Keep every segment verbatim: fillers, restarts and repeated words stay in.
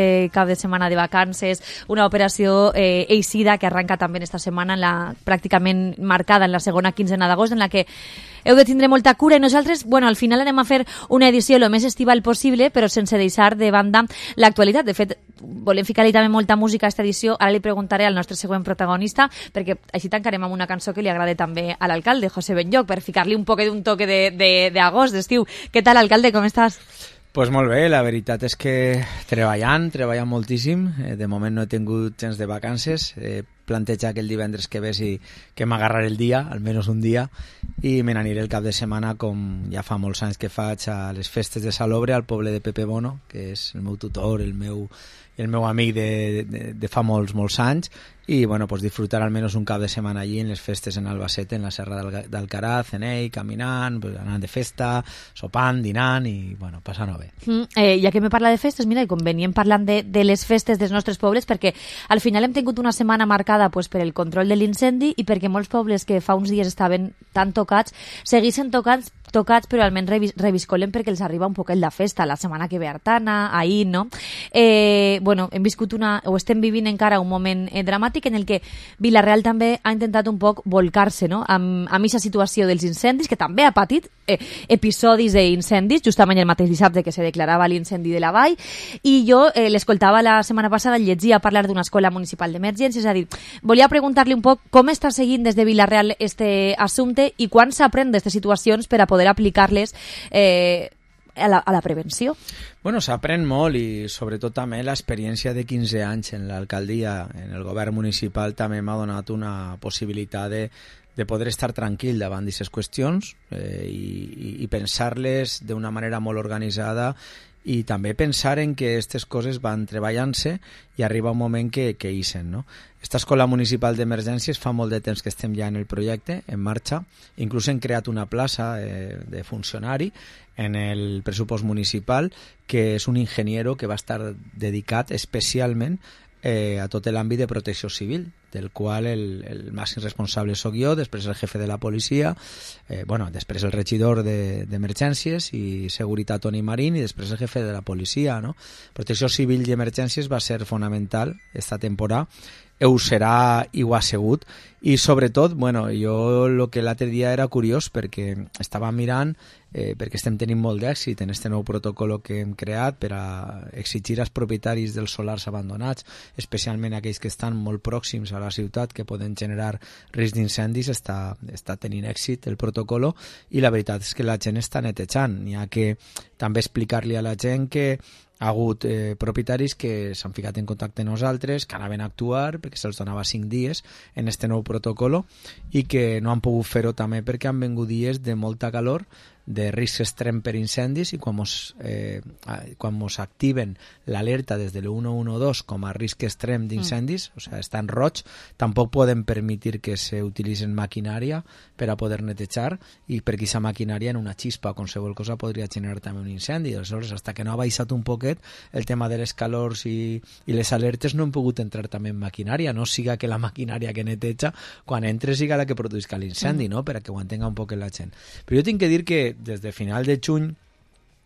Eh, cap de setmana de vacances, una operació eh, eixida que arranca també esta setmana en la, pràcticament marcada en la segona quinzena d'agost, en la que heu de tindre molta cura i nosaltres, bueno, al final anem a fer una edició el més estival possible, però sense deixar de banda l'actualitat. De fet, volem ficar-li també molta música a aquesta edició. Ara li preguntaré al nostre següent protagonista, perquè així tancarem amb una cançó que li agrada també a l'alcalde, José Benlloch, per ficar-li un poc d'un toque d'agost, d'estiu. Què tal, alcalde, com estàs? Pues molt bé, la veritat és que treballant, treballant moltíssim. Eh, de moment no he tingut temps de vacances. He plantejat que el divendres que ve sí que m'agarraré el dia, almenys un dia, i me n'aniré el cap de setmana, com ja fa molts anys que faig, a les festes de Salobre, al poble de Pepe Bono, que és el meu tutor, el meu, el meu amic de, de, de fa molts, molts anys, i bueno, pues disfrutar almenys un cap de setmana allí en les festes en Albacete, en la Serra d'Alcaraz, en ell, caminant, pues, anant de festa, sopant, dinant i bueno, passant-ho bé. Mm, eh, ja que me parla de festes, mira, i com veníem parlant de, de les festes dels nostres pobles, perquè al final hem tingut una setmana marcada pues, per el control de l'incendi i perquè molts pobles que fa uns dies estaven tan tocats, segueixen tocats tocats, però almenys revis, reviscolen perquè els arriba un poquet la festa, la setmana que ve Artana, ahir, no? Eh, bueno, hem viscut una, o estem vivint encara un moment eh, dramàtic en el que Vila-real també ha intentat un poc volcar-se, no?, amb, amb aquesta situació dels incendis, que també ha patit eh, episodis d'incendis, justament el mateix dissabte que se declarava l'incendi de la Vall, i jo eh, l'escoltava la setmana passada, llegia a parlar d'una escola municipal d'emergències, és a dir, volia preguntar-li un poc com està seguint des de Vila-real este assumpte i quan s'aprèn d'aquestes situacions per a poder aplicar-les eh, a, la, a la prevenció. Bueno, s'aprèn molt i sobretot també l'experiència de quinze anys en l'alcaldia, en el govern municipal, també m'ha donat una possibilitat de, de poder estar tranquil davant d'aquestes qüestions eh, i, i pensar-les d'una manera molt organitzada i també pensar en que aquestes coses van treballant-se i arriba un moment que, que ixen, no? Esta escola municipal d'emergències fa molt de temps que estem ja en el projecte, en marxa. Inclús hem creat una plaça eh, de funcionari en el pressupost municipal, que és un ingeniero que va estar dedicat especialment eh, a tot l'àmbit de protecció civil, del qual el, el màxim responsable sóc jo, després el jefe de la policia, eh, bueno, després el regidor d'emergències de, i seguretat Toni Marín, i després el jefe de la policia, no? Protecció civil i emergències va ser fonamental esta temporada, ho serà i ho ha sigut, i sobretot, bueno, jo el que l'altre dia era curiós perquè estava mirant, eh, perquè estem tenint molt d'èxit en este nou protocol que hem creat per a exigir als propietaris dels solars abandonats, especialment aquells que estan molt pròxims a la ciutat, que poden generar risc d'incendis, està, està tenint èxit el protocol, i la veritat és que la gent està netejant. N'hi ha que també explicar-li a la gent que ha hagut eh, propietaris que s'han ficat en contacte amb nosaltres, que anaven a actuar perquè se'ls donava cinc dies en este nou protocol i que no han pogut fer-ho també perquè han vingut dies de molta calor, de risc extrem per incendis, i quan mos, eh, quan mos activen l'alerta des de l'u u u dos com a risc extrem d'incendis, mm. o sigui, està en roig, tampoc podem permetre que s'utilitzen maquinària per a poder netejar, i perquè aquesta maquinària en una xispa o qualsevol cosa podria generar també un incendi. Aleshores, fins que no ha baixat un poquet el tema de les calors i, i les alertes, no hem pogut entrar també en maquinària, no siga que la maquinària que neteja quan entra siga la que produïsca l'incendi, mm. no? Per a que ho entenga un poc la gent. Però jo tinc que dir que des de final de juny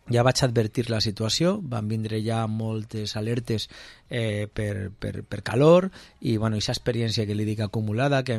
ja vaig advertir la situació, van vindre ja moltes alertes eh, per, per, per calor, i bueno, aquesta experiència que li dic acumulada, que,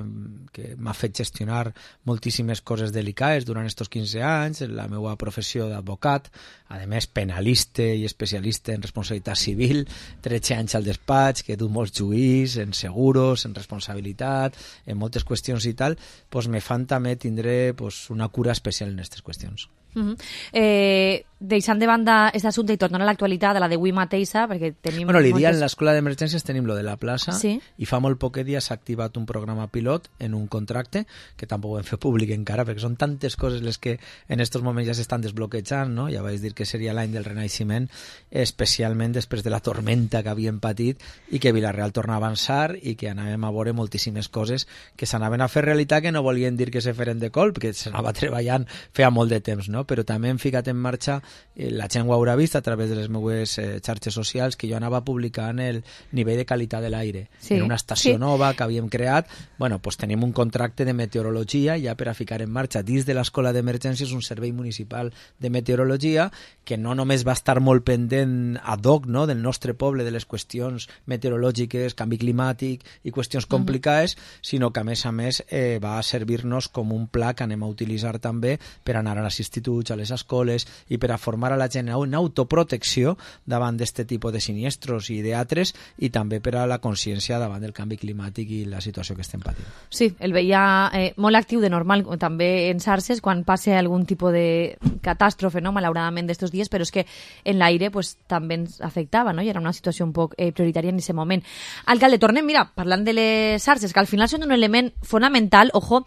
que m'ha fet gestionar moltíssimes coses delicades durant estos quinze anys, la meva professió d'advocat, a més penalista i especialista en responsabilitat civil, tretze anys al despatx, que he dut molts juís, en seguros, en responsabilitat, en moltes qüestions i tal, pues me fan també tindre pues, una cura especial en aquestes qüestions. Uh -huh. eh, deixant de banda aquest assumpte i tornant a l'actualitat, a la d'avui mateixa, perquè tenim... Bueno, l'Idia, moltes... en l'escola d'emergències tenim lo de la plaça, sí? I fa molt poc dia s'ha activat un programa pilot en un contracte, que tampoc ho hem fet públic encara, perquè són tantes coses les que en aquests moments ja s'estan desbloquejant, no? Ja vaig dir que seria l'any del renaixement, especialment després de la tormenta que havíem patit, i que Vila-real torna a avançar, i que anàvem a veure moltíssimes coses que s'anaven a fer realitat, que no volien dir que se feren de colp, que s'anava treballant feia molt de temps, no? Però també hem ficat en marxa eh, la gent ho haurà vist a través de les meves eh, xarxes socials, que jo anava publicant el nivell de qualitat de l'aire. Sí, en una estació sí. nova que havíem creat, bueno, pues tenim un contracte de meteorologia ja per a ficar en marxa dins de l'Escola d'Emergències un servei municipal de meteorologia que no només va estar molt pendent ad hoc, no?, del nostre poble, de les qüestions meteorològiques, canvi climàtic i qüestions complicades, uh-huh. sinó que a més a més eh, va servir-nos com un pla que anem a utilitzar també per anar als instituts, a les escoles i per a formar a la gent en autoprotecció davant d'aquest tipus de siniestros i d'altres, i també per a la consciència davant del canvi climàtic i la situació que estem patint. Sí, el veia eh, molt actiu de normal també en xarxes quan passa algun tipus de catàstrofe, no?, malauradament d'estos dies, però és que en l'aire pues, també ens afectava, no?, i era una situació un poc eh, prioritària en aquest moment. Alcalde, tornem, mira, parlant de les xarxes, que al final són un element fonamental, ojo,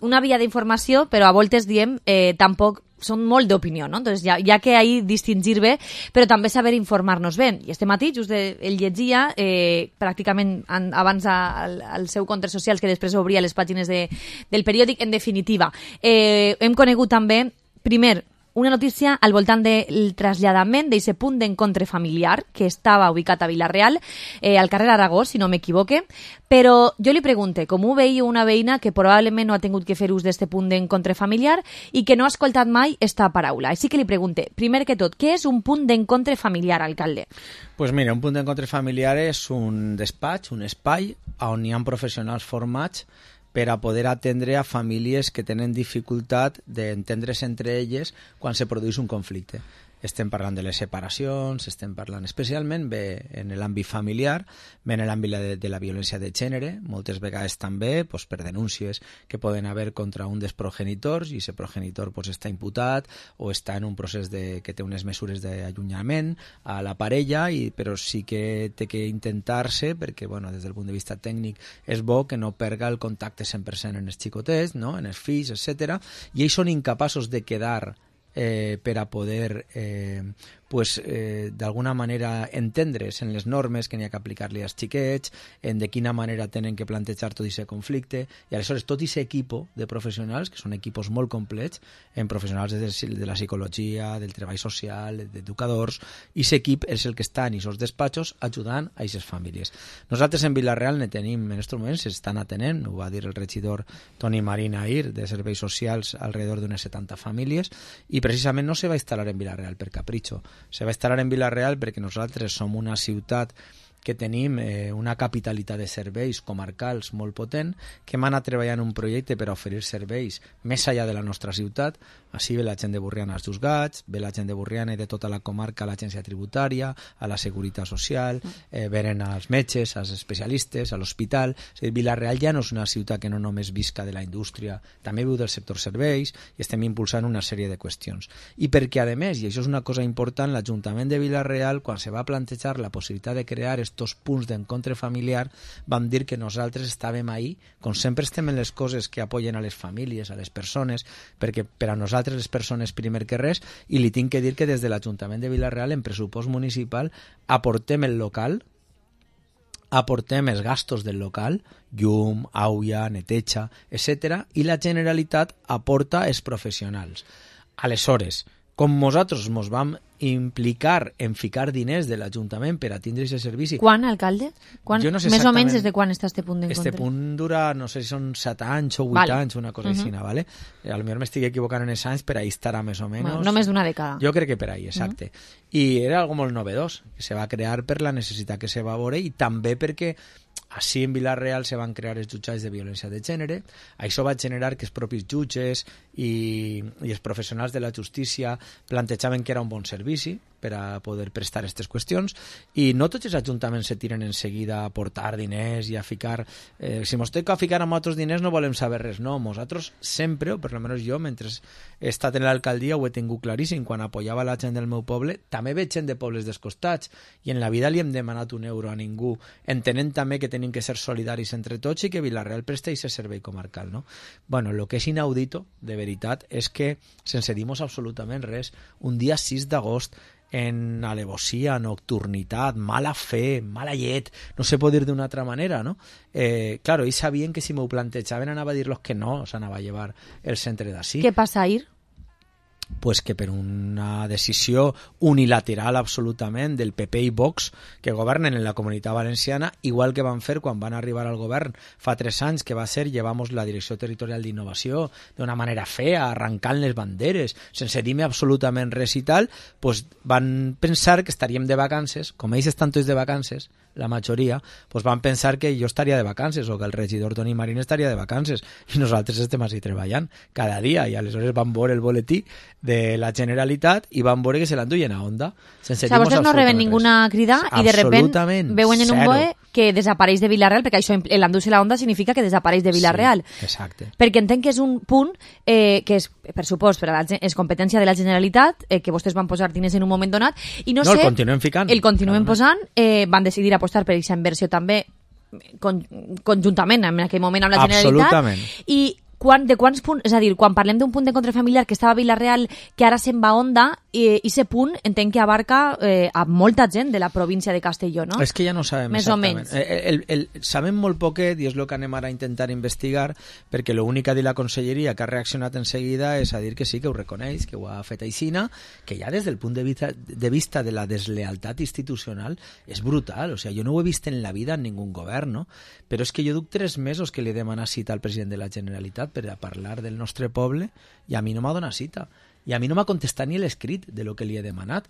una via d'informació, però a voltes diem eh, tampoc són molt d'opinió, no? Entonces, ja, ja que ahí distingir bé, però també saber informar-nos bé. I este matí, just el llegia, eh, pràcticament an, abans al, al seu compte socials, que després obria les pàgines de, del periòdic, en definitiva. Eh, hem conegut també, primer, una notícia al voltant del traslladament d'aquest punt d'encontre familiar que estava ubicat a Vila-real, eh, al carrer Aragó, si no m'equivoque, però jo li pregunte, com ho veia una veïna que probablement no ha tingut que fer ús d'aquest punt d'encontre familiar i que no ha escoltat mai esta paraula. Així que li pregunte, primer que tot, què és un punt d'encontre familiar, alcalde? Pues mira, un punt d'encontre familiar és un despatx, un espai on hi ha professionals formats per a poder atendre a famílies que tenen dificultat d'entendre's entre elles quan se produeix un conflicte. Estem parlant de les separacions, estem parlant especialment bé en l'àmbit familiar, bé en l'àmbit de, de la violència de gènere, moltes vegades també pues, per denúncies que poden haver contra un dels progenitors i aquest progenitor pues, està imputat o està en un procés de, que té unes mesures d'allunyament a la parella, i, però sí que té que intentar-se, perquè bueno, des del punt de vista tècnic és bo que no perga el contacte cent per cent en els xicotets, no? En els fills, etcètera. I ells són incapaços de quedar Eh, per a poder eh, pues, eh, d'alguna manera entendre's en les normes que n'hi ha que aplicar-li als xiquets, en de quina manera tenen que plantejar tot aquest conflicte, i aleshores tot aquest equip de professionals, que són equipos molt complets, en professionals de, de la psicologia, del treball social, d'educadors, i aquest equip és el que està en aquests despatxos ajudant a aquestes famílies. Nosaltres en Vila-real ne tenim, en aquests moments s'estan atenent, ho va dir el regidor Toni Marín ahir, de serveis socials, alrededor d'unes setanta famílies, i precisament no se va instal·lar en Vila-real per capritxo, se va instal·lar en Vila-real perquè nosaltres som una ciutat que tenim eh, una capitalitat de serveis comarcals molt potent, que hem anat treballant un projecte per a oferir serveis més enllà de la nostra ciutat. Així ve la gent de Borriana als Juzgats, ve la gent de Borriana i de tota la comarca a l'agència tributària, a la seguretat social, eh, venen als metges, als especialistes, a l'hospital. O sigui, Vila-real ja no és una ciutat que no només visca de la indústria, també viu del sector serveis, i estem impulsant una sèrie de qüestions. I perquè, a més, i això és una cosa important, l'Ajuntament de Vila-real, quan se va plantejar la possibilitat de crear estos punts d'encontre familiar, vam dir que nosaltres estàvem ahí, com sempre estem en les coses que apoyen a les famílies, a les persones, perquè per a nosaltres les persones primer que res, i li tinc que dir que des de l'Ajuntament de Vila-real en pressupost municipal aportem el local, aportem els gastos del local, llum, aigua, neteja, etcètera, i la Generalitat aporta els professionals. Aleshores, com nosaltres ens vam implicar en ficar diners de l'Ajuntament per a tindre aquest servici... Quan, alcalde? Quan, jo no sé més o menys des de quan està este punt d'encontre? Este punt dura, no sé si són set anys o vuit vale. anys, una cosa uh -huh. així, ¿vale? A lo millor m'estic equivocant en els anys, per ahí estarà més o menys... Bueno, no més d'una dècada. Jo crec que per ahí, exacte. Uh -huh. I era algo molt novedós, que se va crear per la necessitat que se va veure i també perquè així en Vila-real se van crear els jutjats de violència de gènere. Això va generar que els propis jutges i, i els professionals de la justícia plantejaven que era un bon servici per a poder prestar aquestes qüestions, i no tots els ajuntaments se tiren en seguida a aportar diners i a ficar... Eh, si mos toca ficar amb altres diners no volem saber res, no. Nosaltres sempre, o per almenys jo, mentre he estat en l'alcaldia ho he tingut claríssim, quan apoyava la gent del meu poble, també veig gent de pobles dels costats, i en la vida li hem demanat un euro a ningú, entenent també que tenim que ser solidaris entre tots i que Vila-real presta aquest servei comarcal, no? Bueno, el que és inaudito, de veritat, és que, sense dir-nos absolutament res, un dia sis d'agost, en alevosia, nocturnitat, mala fe, mala llet, no se pot dir d'una altra manera, ¿no? Eh, claro, ells sabien que si m'ho plantejaven anava a dir-los que no, s'anava a llevar el centre d'ací. Què passa ahir? pues que per una decisió unilateral absolutament del P P i Vox que governen en la Comunitat Valenciana, igual que van fer quan van arribar al govern fa tres anys, que va ser llevamos la Direcció Territorial d'Innovació d'una manera fea, arrencant les banderes, sense dir-me absolutament res i tal, pues van pensar que estaríem de vacances, com ells estan tots de vacances, la majoria, pues van pensar que jo estaria de vacances o que el regidor Toni Marín estaria de vacances i nosaltres estem així treballant cada dia i aleshores van veure el boletí de la Generalitat i van veure que se l'enduien a Onda. Sense o sigui, vostès no reben ninguna crida i de repent veuen en un B O E que desapareix de Vila-real, perquè això l'endur-se a la Onda significa que desapareix de Vila-real. Sí, exacte. Perquè entenc que és un punt eh, que és, per supost, per a la, és competència de la Generalitat, eh, que vostès van posar diners en un moment donat, i no, no sé... el continuem ficant. El continuem posant, eh, van decidir apostar per aquesta inversió també con, conjuntament en aquell moment amb la Generalitat. Absolutament. I quan, de quants punts, és a dir, quan parlem d'un punt d'encontre familiar que estava a Vila-real, que ara se'n va a Onda, i aquest punt entenc que abarca eh, a molta gent de la província de Castelló, no? És que ja no sabem més exactament. o menys. El, el, el, sabem molt poquet i és el que anem ara a intentar investigar, perquè l'únic que ha dit la conselleria que ha reaccionat en seguida és a dir que sí, que ho reconeix, que ho ha fet aixina, que ja des del punt de vista de, vista de la deslealtat institucional és brutal. O sigui, jo no ho he vist en la vida en ningú govern, no? Però és que jo duc tres mesos que li he demanat cita al president de la Generalitat per a parlar del nostre poble i a mi no m'ha donat cita. I a mi no m'ha contestat ni l'escrit de lo que li he demanat.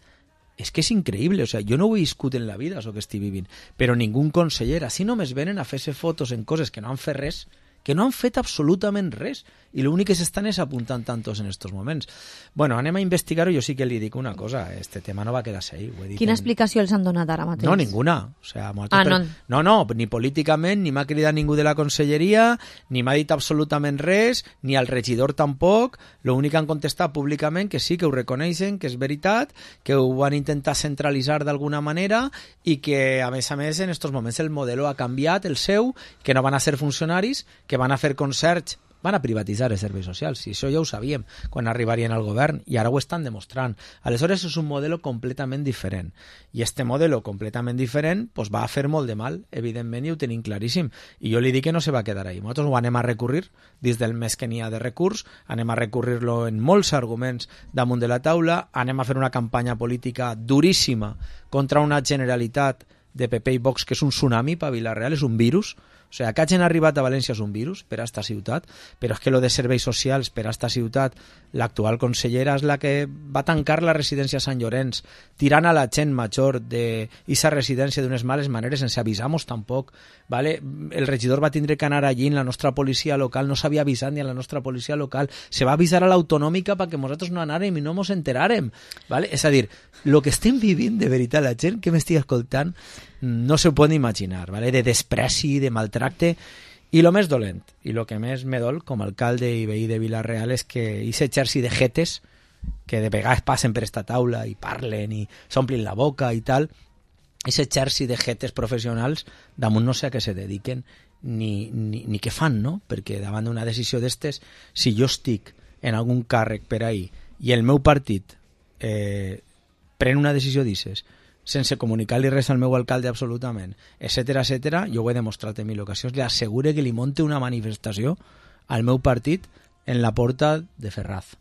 És que és increïble, o sea, jo no ho he viscut en la vida, això que estic vivint, però ningú conseller, així només venen a fer-se fotos en coses que no han fet res, que no han fet absolutament res, i l'únic que s'estan és apuntant tantos en estos moments. Bueno, anem a investigar-ho, jo sí que li dic una cosa, este tema no va quedar-se ahí. Ho he dit Quina en... explicació els han donat ara mateix? No, ninguna. O sea, ah, no. Per... no, no, ni políticament, ni m'ha cridat ningú de la conselleria, ni m'ha dit absolutament res, ni al regidor tampoc. L'únic que han contestat públicament que sí, que ho reconeixen, que és veritat, que ho van intentar centralitzar d'alguna manera i que, a més a més, en estos moments el model ha canviat, el seu, que no van a ser funcionaris, que van a fer concerts, van a privatitzar els serveis socials, i això ja ho sabíem quan arribarien al govern, i ara ho estan demostrant. Aleshores és un model completament diferent, i este model completament diferent pues, va a fer molt de mal, evidentment, i ho tenim claríssim, i jo li dic que no se va quedar ahí. Nosaltres ho anem a recurrir, dins del mes que n'hi ha de recurs, anem a recurrir-lo en molts arguments damunt de la taula, anem a fer una campanya política duríssima contra una Generalitat de P P i Vox que és un tsunami per Vila-real, és un virus. O sigui, que hagin arribat a València és un virus per a esta ciutat, però és que lo de serveis socials per a esta ciutat, l'actual consellera és la que va tancar la residència Sant Llorenç, tirant a la gent major d'aquesta residència d'unes males maneres, sense avisar-nos tampoc. ¿Vale? El regidor va tindre que anar allí en la nostra policia local, no s'havia avisat ni a la nostra policia local, se va avisar a l'autonòmica perquè nosaltres no anàrem i no ens enteràrem. ¿Vale? És a dir, el que estem vivint de veritat, la gent que m'estigui escoltant no se ho pot imaginar, ¿vale? De despreci, de maltracte, i el més dolent, i el que més me dol com a alcalde i veí de Vila-real és que aquest exèrcit de jetes que de vegades passen per esta taula i parlen i s'omplin la boca i tal, aquest exèrcit de jetes professionals damunt no sé a què se dediquen ni, ni, ni què fan, no? Perquè davant d'una decisió d'estes, si jo estic en algun càrrec per ahí i el meu partit eh, pren una decisió d'isses sense comunicar-li res al meu alcalde absolutament, etcètera, etcètera, jo ho he demostrat en mil ocasions, li assegure que li monte una manifestació al meu partit en la porta de Ferraz.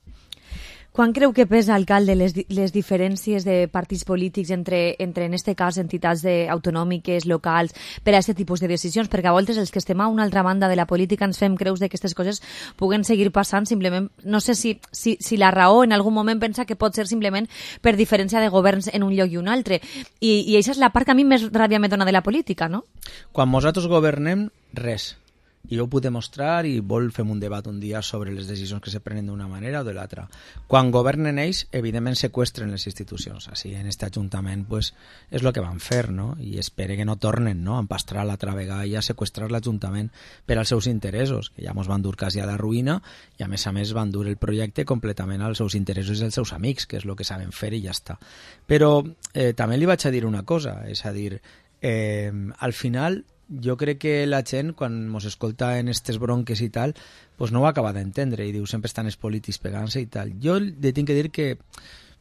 Quan creu que pesa, alcalde, les, les diferències de partits polítics entre, entre en este cas, entitats de, autonòmiques, locals, per a aquest tipus de decisions? Perquè a voltes els que estem a una altra banda de la política ens fem creus que aquestes coses puguen seguir passant simplement... No sé si, si, si la raó en algun moment pensa que pot ser simplement per diferència de governs en un lloc i un altre. I, i això és la part que a mi més ràbia me dona de la política, no? Quan nosaltres governem, res. I jo ho puc demostrar i vol fem un debat un dia sobre les decisions que se prenen d'una manera o de l'altra. Quan governen ells, evidentment seqüestren les institucions. Així, en aquest ajuntament, pues, és el que van fer, no? I espere que no tornen, no?, a empastrar l'altra vegada i a seqüestrar l'Ajuntament per als seus interessos, que ja mos van dur quasi a la ruïna i, a més a més, van dur el projecte completament als seus interessos i als seus amics, que és el que saben fer i ja està. Però eh, també li vaig a dir una cosa, és a dir, eh, al final... Jo crec que la gent, quan ens escolta en aquestes bronques i tal, pues no ho acaba d'entendre i diu, sempre estan els polítics pegant-se i tal. Jo li tinc que dir que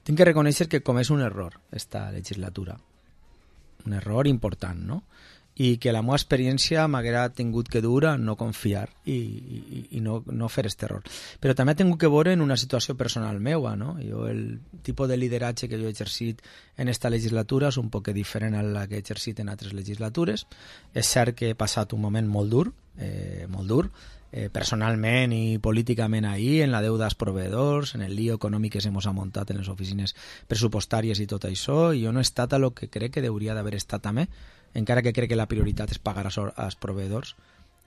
tinc que reconèixer que comès un error esta legislatura. Un error important, no? i que la meva experiència m'haguera tingut que dur a no confiar i, i, i no, no fer aquest error. Però també he tingut que veure en una situació personal meua, no? Jo, el tipus de lideratge que jo he exercit en esta legislatura és un poc diferent a la que he exercit en altres legislatures. És cert que he passat un moment molt dur, eh, molt dur, eh, personalment i políticament ahir, en la deuda als proveïdors, en el lío econòmic que se mos ha muntat en les oficines pressupostàries i tot això, i jo no he estat a lo que crec que hauria d'haver estat també, encara que crec que la prioritat és pagar als, als proveïdors,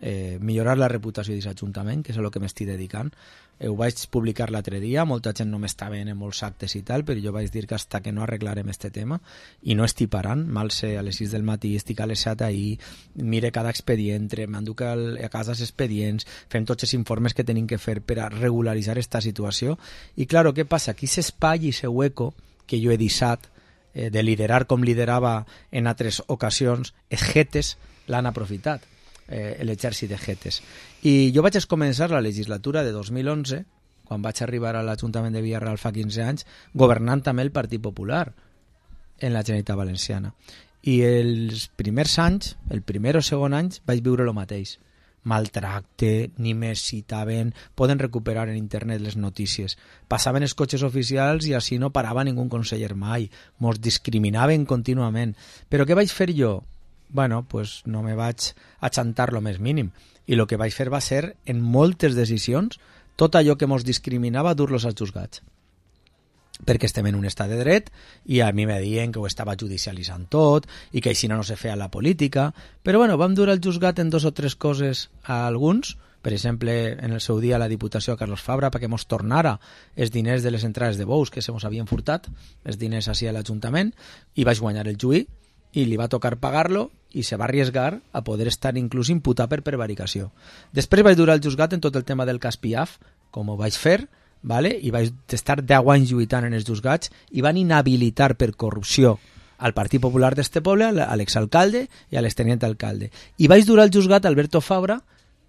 eh, millorar la reputació d'aquest ajuntament, que és a lo que m'estic dedicant. Eh, ho vaig publicar l'altre dia, molta gent no m'està veient en molts actes i tal, però jo vaig dir que hasta que no arreglarem este tema, i no estic parant, mal sé, a les sis del matí, estic a les set ahir, mire cada expedient, m'enduc a casa els expedients, fem tots els informes que tenim que fer per a regularitzar esta situació, i claro, què passa? Aquí s'espai i se hueco que jo he deixat de liderar com liderava en altres ocasions, els jetes l'han aprofitat, eh, l'exèrcit de jetes. I jo vaig començar la legislatura de dos mil onze, quan vaig arribar a l'Ajuntament de Villarreal fa quinze anys, governant també el Partit Popular en la Generalitat Valenciana. I els primers anys, el primer o segon anys, vaig viure el mateix. Maltracte, ni me citaven, poden recuperar en internet les notícies. Passaven els cotxes oficials i així no parava ningú conseller mai. Mos discriminaven contínuament. Però què vaig fer jo? Bueno, pues no me vaig achantar lo més mínim. I el que vaig fer va ser, en moltes decisions, tot allò que mos discriminava dur-los als juzgats. Perquè estem en un estat de dret i a mi me deien que ho estava judicialitzant tot i que així no se feia la política, però bueno, vam dur al juzgat en dos o tres coses a alguns, per exemple, en el seu dia la Diputació a Carlos Fabra perquè mos tornara els diners de les entrades de bous que se mos havien furtat, els diners així a l'Ajuntament, i vaig guanyar el juí i li va tocar pagar-lo i se va arriesgar a poder estar inclús imputat per prevaricació. Després vaig dur al juzgat en tot el tema del cas Piaf, com ho vaig fer, vale? I vaig estar deu anys lluitant en els juzgats i van inhabilitar per corrupció al Partit Popular d'este poble, a l'exalcalde i a l'extenient alcalde. I vaig dur al juzgat Alberto Fabra,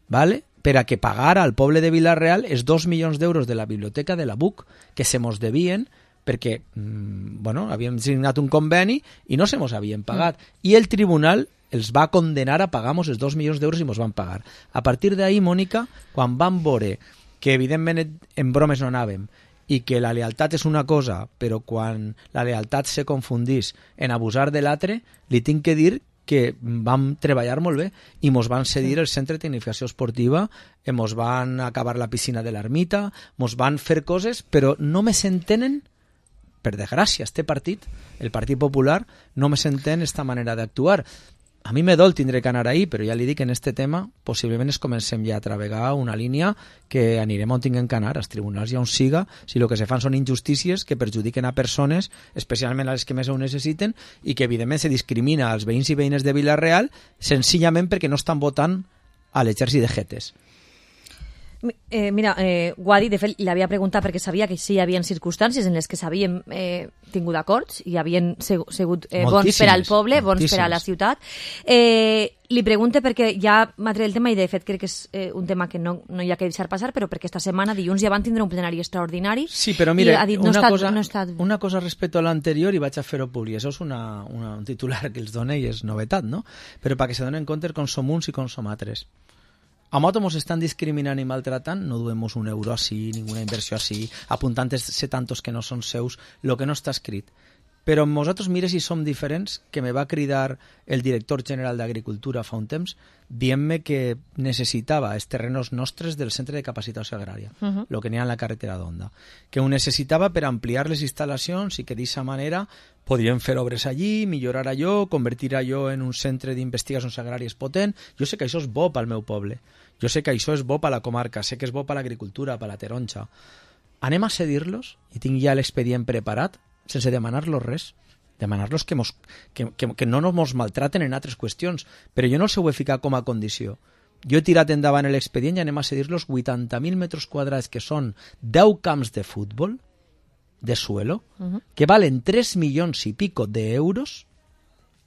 vale? Per a que pagara al poble de Vila-real els dos milions d'euros de la biblioteca de la B U C que se mos devien perquè mmm, bueno, havíem signat un conveni i no se mos havien pagat. Mm. I el tribunal els va condenar a pagar-nos els dos milions d'euros i mos van pagar. A partir d'ahir, Mònica, quan van veure que evidentment en bromes no anàvem i que la lealtat és una cosa, però quan la lealtat se confundís en abusar de l'altre, li tinc que dir que vam treballar molt bé i mos van cedir el centre de tecnificació esportiva, mos van acabar la piscina de l'ermita, mos van fer coses, però no me s'entenen, per desgràcia, este partit, el Partit Popular, no me s'entén esta manera d'actuar. A mi me dol tindré que anar ahí, però ja li dic que en este tema possiblement es comencem ja a travegar una línia que anirem on tinguem que anar, als tribunals i on siga, si el que se fan són injustícies que perjudiquen a persones, especialment a les que més ho necessiten, i que evidentment se discrimina als veïns i veïnes de Vila-real senzillament perquè no estan votant a l'exèrcit de jetes. Eh, mira, eh, Guadi, de fet, l'havia preguntat perquè sabia que sí hi havia circumstàncies en les que s'havien eh, tingut acords i havien sigut eh, bons per al poble, bons per a la ciutat. Eh, li pregunte perquè ja m'ha tret el tema i de fet crec que és eh, un tema que no, no hi ha que deixar passar, però perquè esta setmana, dilluns, ja van tindre un plenari extraordinari. Sí, però mira, dit, no una, estat, cosa, no estat... una cosa respecte a l'anterior i vaig a fer-ho públic. Això és una, una, un titular que els dona i és novetat, no? Però perquè se donen compte com som uns i com som altres. A moto mos estan discriminant i maltratant, no duem un euro així, ninguna inversió així, apuntant se tantos que no són seus, el que no està escrit. Però nosaltres, mire si som diferents, que me va cridar el director general d'Agricultura fa un temps, dient-me que necessitava els terrenos nostres del centre de capacitació agrària, el uh -huh. que n'hi ha en la carretera d'Onda, que ho necessitava per ampliar les instal·lacions i que d'aquesta manera podríem fer obres allí, millorar allò, convertir allò en un centre d'investigacions agràries potent. Jo sé que això és bo pel meu poble, jo sé que això és bo per la comarca, sé que és bo per l'agricultura, per la taronja. Anem a cedir-los, i tinc ja l'expedient preparat, sense demanar-los res, demanar-los que, mos, que, que, que no nos maltraten en altres qüestions, però jo no els ho he ficat com a condició. Jo he tirat endavant l'expedient i anem a cedir-los vuitanta mil metres quadrats, que són deu camps de futbol, de suelo, uh-huh. que valen tres milions i pico d'euros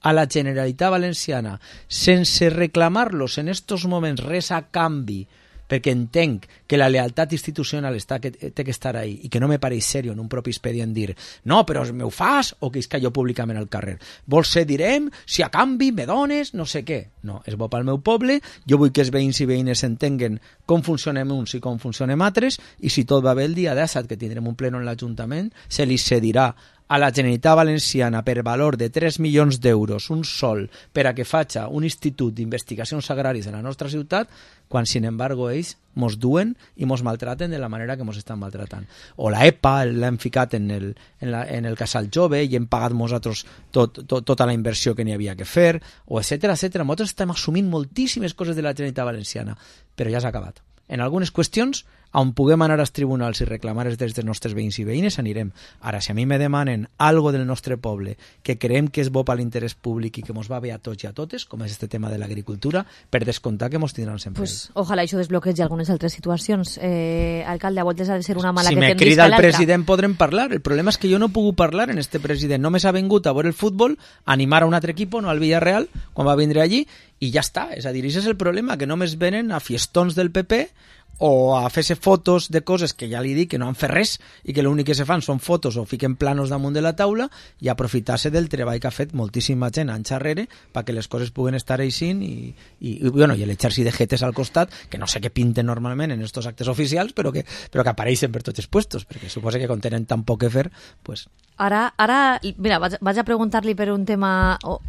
a la Generalitat Valenciana, sense reclamar-los en estos moments res a canvi perquè entenc que la lealtat institucional està que té que estar ahí i que no me pareix serio en un propi expedient dir no, però me ho fas o que és que jo públicament al carrer. Vols ser, direm, si a canvi me dones, no sé què. No, és bo pel meu poble, jo vull que els veïns i veïnes entenguen com funcionem uns i com funcionem altres, i si tot va bé el dia disset que tindrem un pleno en l'Ajuntament, se li cedirà a la Generalitat Valenciana per valor de tres milions d'euros, un sol, per a que faci un institut d'investigacions agràries en la nostra ciutat, quan, sin embargo, ells mos duen i mos maltraten de la manera que mos estan maltratant. O la E P A l'hem ficat en el, en, la, en el casal jove i hem pagat nosaltres tot, tot, tota la inversió que n'hi havia que fer, o etcètera, etcètera. Nosaltres estem assumint moltíssimes coses de la Generalitat Valenciana, però ja s'ha acabat. En algunes qüestions, on puguem anar als tribunals i reclamar els drets dels nostres veïns i veïnes, anirem. Ara, si a mi me demanen algo del nostre poble que creiem que és bo per l'interès públic i que mos va bé a tots i a totes, com és este tema de l'agricultura, per descomptar que mos tindran sempre. Pues, ojalà això desbloquegi algunes altres situacions. Eh, alcalde, a voltes ha de ser una mala si que me tendisca crida el l'altra. president podrem parlar. El problema és que jo no puc parlar en este president. Només ha vingut a veure el futbol, a animar a un altre equip, no al Villarreal, quan va vindre allí, i ja està. És a dir, això és el problema, que només venen a fiestons del P P o a fer-se fotos de coses que ja li dic que no han fet res i que l'únic que se fan són fotos o fiquen planos damunt de la taula i aprofitar-se del treball que ha fet moltíssima gent anys arrere perquè les coses puguen estar aixint i, i, i, bueno, i l'exèrcit de jetes al costat que no sé què pinten normalment en estos actes oficials però que, però que apareixen per tots els puestos perquè suposa que quan tenen tan poc que fer pues... Ara, ara mira, vaig, vaig a preguntar-li per un tema... Oh.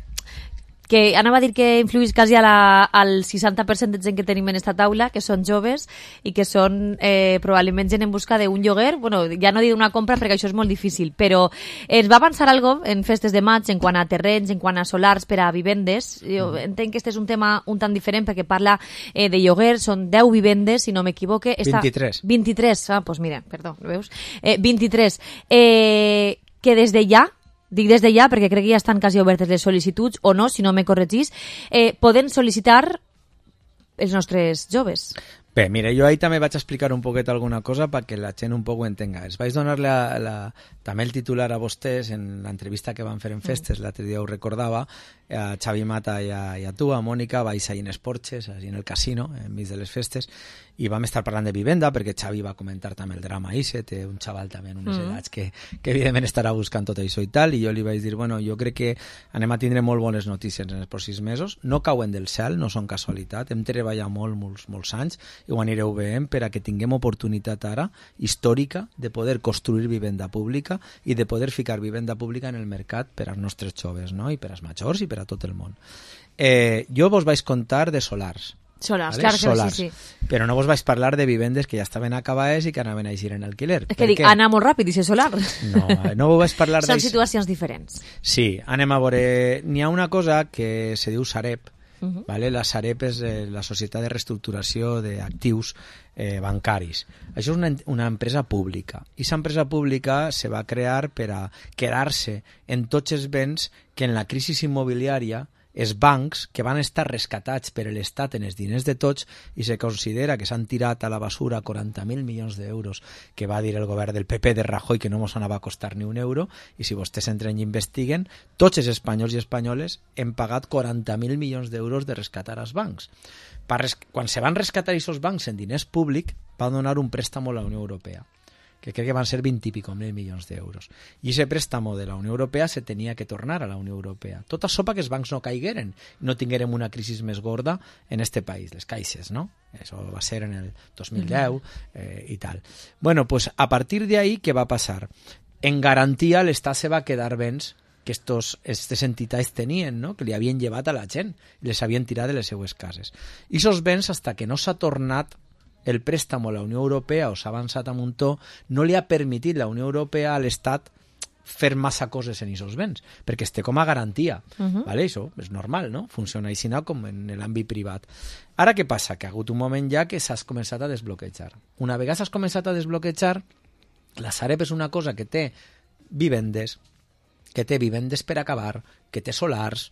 que anava a dir que influís quasi a la, al seixanta per cent de gent que tenim en esta taula, que són joves i que són eh, probablement gent en busca d'un lloguer. Bueno, ja no dic una compra perquè això és molt difícil, però ens va avançar algo en festes de maig en quant a terrenys, en quant a solars per a vivendes. Jo entenc que este és un tema un tant diferent perquè parla eh, de lloguer, són deu vivendes, si no m'equivoque. Esta... vint-i-tres. vint-i-tres, ah, doncs pues mira, perdó, veus? Eh, vint-i-tres. Eh, que des de ja dic des de ja perquè crec que ja estan quasi obertes les sol·licituds, o no, si no me corregís, eh, poden sol·licitar els nostres joves. Bé, mira, jo ahí també vaig explicar un poquet alguna cosa perquè la gent un poc ho entenga. Els vaig donar la, la, també el titular a vostès en l'entrevista que van fer en festes, l'altre dia ho recordava, a Xavi Mata i a, i a tu, a Mònica, vais ahir en els Porches, ahir en el casino, enmig de les festes, i vam estar parlant de vivenda perquè Xavi va comentar també el drama Ise, té un xaval també en unes mm. edats que, que evidentment estarà buscant tot això i tal, i jo li vaig dir, bueno, jo crec que anem a tindre molt bones notícies en els pròxims mesos, no cauen del cel, no són casualitat, hem treballat molt, molts, molts anys, i ho anireu veient per a que tinguem oportunitat ara, històrica, de poder construir vivenda pública i de poder ficar vivenda pública en el mercat per als nostres joves, no? I per als majors i per a tot el món. Eh, jo vos vaig contar de solars, Solars, ¿vale? claro que Solars. sí, sí. Però no vos vaig parlar de vivendes que ja estaven acabades i que anaven a eixir en alquiler. És que dic, anar molt ràpid i ser solar. No, no vos vaig parlar Són de... situacions diferents. Sí, anem a veure... N'hi ha una cosa que se diu Sareb, Uh-huh. ¿vale? La Sareb és eh, la Societat de Reestructuració d'Actius eh, Bancaris. Això és una, una empresa pública. I aquesta empresa pública se va crear per a quedar-se en tots els béns que en la crisi immobiliària els bancs que van estar rescatats per l'Estat en els diners de tots i se considera que s'han tirat a la basura quaranta mil milions d'euros que va dir el govern del P P de Rajoy que no mos anava a costar ni un euro i si vostès entren i investiguen tots els espanyols i espanyoles hem pagat quaranta mil milions d'euros de rescatar als bancs. Res... Quan se van rescatar aquests bancs en diners públics van donar un préstamo a la Unió Europea que crec que van ser vint i pico mil milions d'euros. I aquest préstamo de la Unió Europea se tenia que tornar a la Unió Europea. Tot això perquè els bancs no caigueren, no tinguérem una crisi més gorda en este país, les caixes, no? Això va ser en el dos mil deu eh, i tal. Bueno, pues a partir de ahí, què va passar? En garantia, l'Estat se va quedar béns que estos, estes entitats tenien, no? Que li havien llevat a la gent, les havien tirat de les seues cases. I aquests béns, fins que no s'ha tornat el préstamo a la Unió Europea o s'ha avançat a un to, no li ha permitit la Unió Europea a l'Estat fer massa coses en aquests béns, perquè es té com a garantia. Uh-huh. ¿Vale? Això és normal, no? Funciona així com en l'àmbit privat. Ara què passa? Que ha hagut un moment ja que s'has començat a desbloquejar. Una vegada s'has començat a desbloquejar, la Sareb és una cosa que té vivendes, que té vivendes per acabar, que té solars.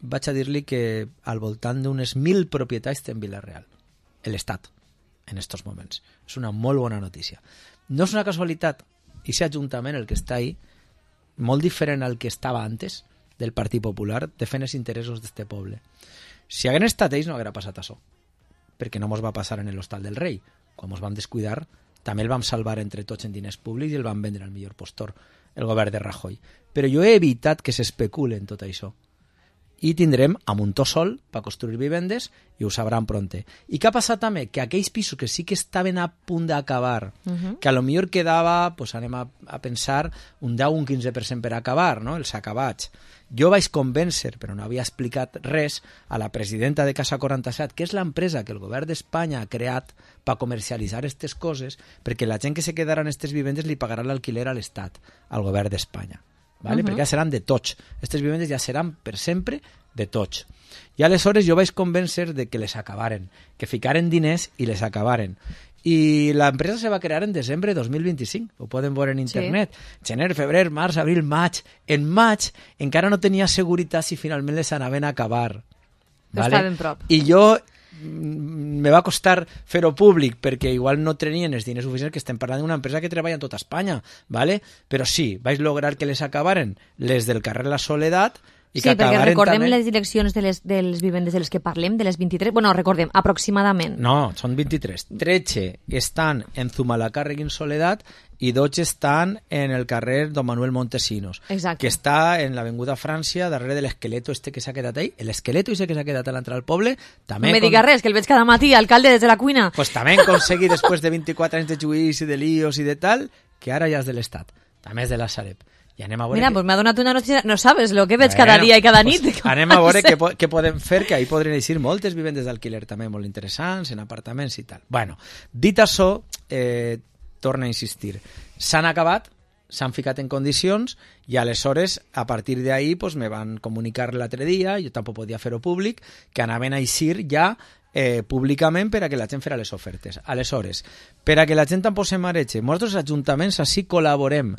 Vaig a dir-li que al voltant d'unes mil propietats té en Vila-real, l'Estat, en estos moments. És una molt bona notícia. No és una casualitat. I aquest ajuntament, el que està ahí, molt diferent al que estava antes del Partit Popular, defèn els interessos d'este poble. Si hagués estat ells no haguera passat això. perquè no mos va passar en l'Hostal del Rei. Quan mos vam descuidar, també el vam salvar entre tots en diners públics i el vam vendre al millor postor, el govern de Rajoy. Però jo he evitat que s'especule en tot això. I tindrem a muntó sol per construir vivendes i ho sabran pronte. I què ha passat també? Que aquells pisos que sí que estaven a punt d'acabar, uh-huh. que a lo millor quedava, pues anem a, a pensar, un deu o un quinze per cent per acabar, no? Els acabats. Jo vaig convèncer, però no havia explicat res, a la presidenta de Casa quaranta-set, que és l'empresa que el govern d'Espanya ha creat per comercialitzar aquestes coses, perquè la gent que se quedarà en aquestes vivendes li pagarà l'alquiler a l'Estat, al govern d'Espanya. ¿Vale? Uh-huh. Perquè ja seran de tots. Aquestes vivendes ja seran per sempre de tots. I aleshores jo vaig convèncer de que les acabaren, que ficaren diners i les acabaren. I l'empresa se va crear en desembre de dos mil vint-i-cinc, ho poden veure en internet. Sí. Gener, febrer, març, abril, maig. En maig encara no tenia seguretat si finalment les anaven a acabar. Vale? Està ben prop. I jo me va costar fer-ho públic perquè igual no tenien els diners suficients, que estem parlant d'una empresa que treballa en tota Espanya, ¿vale? Però sí, vaig lograr que les acabaren les del carrer La Soledat i sí, que perquè recordem també... les direccions de les, de les vivendes de les que parlem, de les vint-i-tres, bueno, recordem, aproximadament. No, són vint-i-tres. tretze estan en Zumalacárregui en Soledat i dotze estan en el carrer Don Manuel Montesinos, exacte, que està en l'Avinguda Frància, darrere de l'esqueleto este que s'ha quedat ahí. L'esqueleto este que s'ha quedat a l'entrada al poble també... No me digues res, que el veig cada matí, alcalde, des de la cuina. Pues també han aconseguit, després de vint-i-quatre anys de judici, de líos i de tal, que ara ja és de l'Estat, també és de la Sareb. I anem a veure Mira, que... pues m'ha donat una notícia... No sabes lo que veig bueno, cada dia i cada nit. Pues anem a veure què, què podem fer, que ahí podrien eixir moltes vivendes d'alquiler també molt interessants, en apartaments i tal. Bueno, dit això, eh, torna a insistir. S'han acabat, s'han ficat en condicions i aleshores, a partir d'ahí, pues, me van comunicar l'altre dia, jo tampoc podia fer-ho públic, que anaven a eixir ja eh, públicament per a que la gent fera les ofertes. Aleshores, per a que la gent tampoc se mareja, nosaltres ajuntaments així col·laborem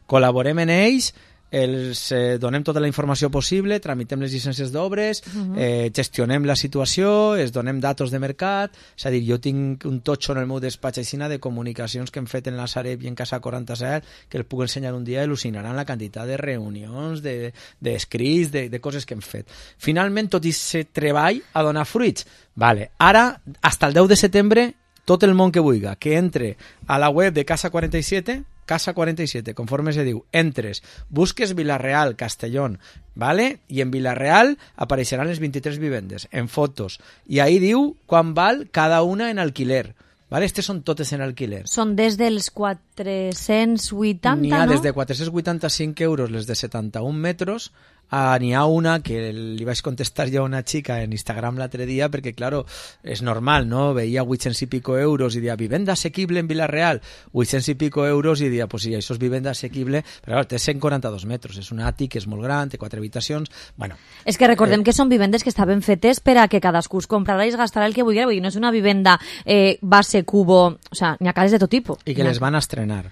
col·laborem en ells, els eh, donem tota la informació possible, tramitem les llicències d'obres, uh-huh. eh, gestionem la situació, es donem datos de mercat, és a dir, jo tinc un totxo en el meu despatx aixina de comunicacions que hem fet en la Sareb i en Casa quaranta-set, que el puc ensenyar un dia i al·lucinaran la quantitat de reunions, d'escrits, de, de, de coses que hem fet. Finalment, tot aquest treball ha donat fruits. Vale. Ara, fins el deu de setembre, tot el món que vulgui, que entre a la web de Casa quaranta-set, Casa quaranta-set, conforme se diu, entres, busques Vila-real, Castellón, ¿vale? I en Vila-real apareixeran les vint-i-tres vivendes, en fotos, i ahí diu quan val cada una en alquiler, ¿vale? Estes són totes en alquiler. Són des dels quatre-cents vuitanta, N'hi ha no? des de quatre-cents vuitanta-cinc euros les de setanta-un metres, Ah, n'hi ha una que li vaig contestar jo a una xica en Instagram l'altre dia perquè, claro, és normal, no? Veia vuit-cents i pico euros i dia vivenda assequible en Vila-real, vuit-cents i pico euros i dia, pues sí, això és vivenda assequible, però clar, té cent quaranta-dos metres, és un àtic, és molt gran, té quatre habitacions, bueno... És que recordem eh, que són vivendes que estaven fetes per a que cadascú es comprarà i es gastarà el que vulgui, vull dir, no és una vivenda eh, base, cubo, o sea, n'hi ha cases de tot tipus. I que les van a estrenar.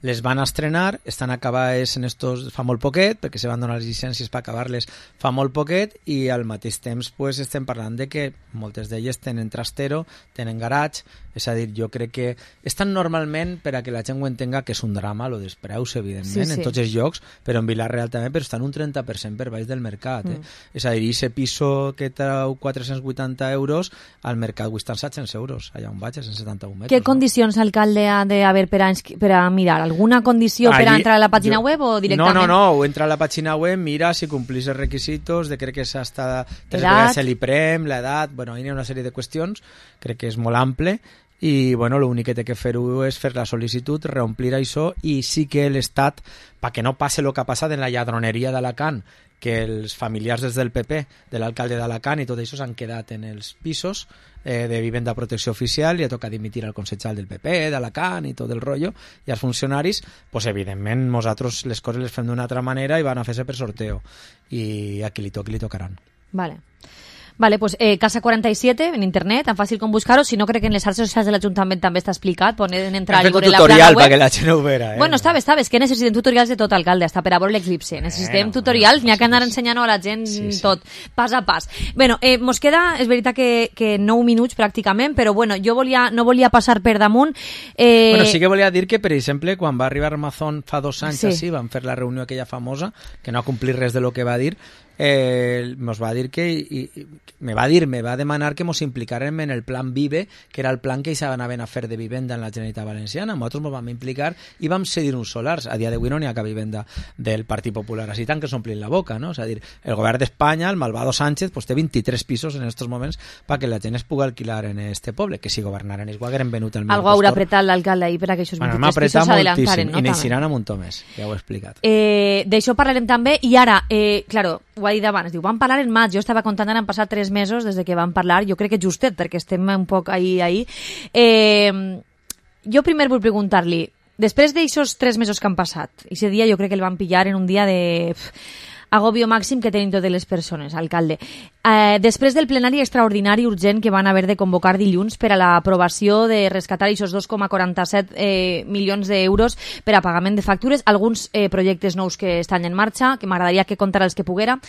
Les van a estrenar, estan acabades en estos fa molt poquet, perquè se van donar les llicències per acabar-les fa molt poquet, i al mateix temps pues, estem parlant de que moltes d'elles tenen trastero, tenen garatge, és a dir, jo crec que estan normalment, per a que la gent ho entenga, que és un drama, lo dels preus, evidentment, sí, sí. en tots els llocs, però en Vila-real també, però estan un trenta per cent per baix del mercat. Eh? Mm. És a dir, ese piso que trau quatre-cents vuitanta euros, al mercat ho estan set-cents euros, allà on vaig, a cent setanta-un metres. Què no? Condicions, alcalde, ha d'haver per, per a mirar? Alguna condició Allí, per a entrar a la pàgina jo, web o directament? No, no, no, entra a la pàgina web, mira si complís els requisitos, de crec que és hasta tres vegades l'IPREM, l'edat, bueno, hi ha una sèrie de qüestions, crec que és molt ample, i bueno, l'únic que té que fer-ho és fer la sol·licitud, reomplir això, i sí que l'Estat, perquè no passe el que ha passat en la lladroneria d'Alacant, que els familiars des del P P, de l'alcalde d'Alacant i tot això s'han quedat en els pisos eh, de vivenda a protecció oficial, i ha tocat dimitir al consellal del P P, d'Alacant i tot el rotllo, i als funcionaris, pues, evidentment, nosaltres les coses les fem d'una altra manera i van a fer-se per sorteo, i a qui li toqui li tocaran. Vale. Vale, pues eh, Casa quaranta-set en internet, tan fàcil com buscar-ho. Si no, crec que en les xarxes socials de l'Ajuntament també està explicat. Poden entrar i veure la plana web. Hem fet un tutorial perquè la gent ho vera. Eh? Bueno, està bé, està bé. És que necessitem tutorials de tot, alcalde, hasta per a veure l'eclipse. Necessitem bueno, tutorials, n'hi ha que anar ensenyant a la gent sí, sí. tot, pas a pas. Bueno, eh, mos queda, és veritat que, que nou minuts pràcticament, però bueno, jo volia, no volia passar per damunt. Eh... Bueno, sí que volia dir que, per exemple, quan va arribar Amazon fa dos anys sí. així, van fer la reunió aquella famosa, que no ha complit res de lo que va dir, eh, nos va dir que i, i, me va dir, me va demanar que mos implicarem en el plan Vive, que era el plan que ells anaven a fer de vivenda en la Generalitat Valenciana. Nosaltres ens vam implicar i vam cedir uns solars. A dia d'avui no n'hi ha cap vivenda del Partit Popular, així tant que s'omplin la boca, no? És a dir, el govern d'Espanya, el malvado Sánchez, pues, té vint-i-tres pisos en estos moments perquè la gent es pugui alquilar en este poble, que si governaren ells ho hagueren venut al Algo haurà apretat l'alcalde ahir per a que aquests bueno, vint-i-tres pisos s'adelantaren, no? I n'eixiran a muntó més, ja ho he explicat. Eh, D'això parlarem també, i ara, eh, claro, ho ha dit abans, diu, vam parlar en maig, jo estava comptant, han passat tres mesos des de que vam parlar, jo crec que justet, perquè estem un poc ahí, ahí. Eh, jo primer vull preguntar-li, després d'aixòs tres mesos que han passat, aquest dia jo crec que el van pillar en un dia de pff, agobio màxim que tenim totes les persones, alcalde. Eh, després del plenari extraordinari urgent que van haver de convocar dilluns per a l'aprovació de rescatar aquests dos coma quaranta-set eh, milions d'euros per a pagament de factures, alguns eh, projectes nous que estan en marxa, que m'agradaria que contara els que poguera.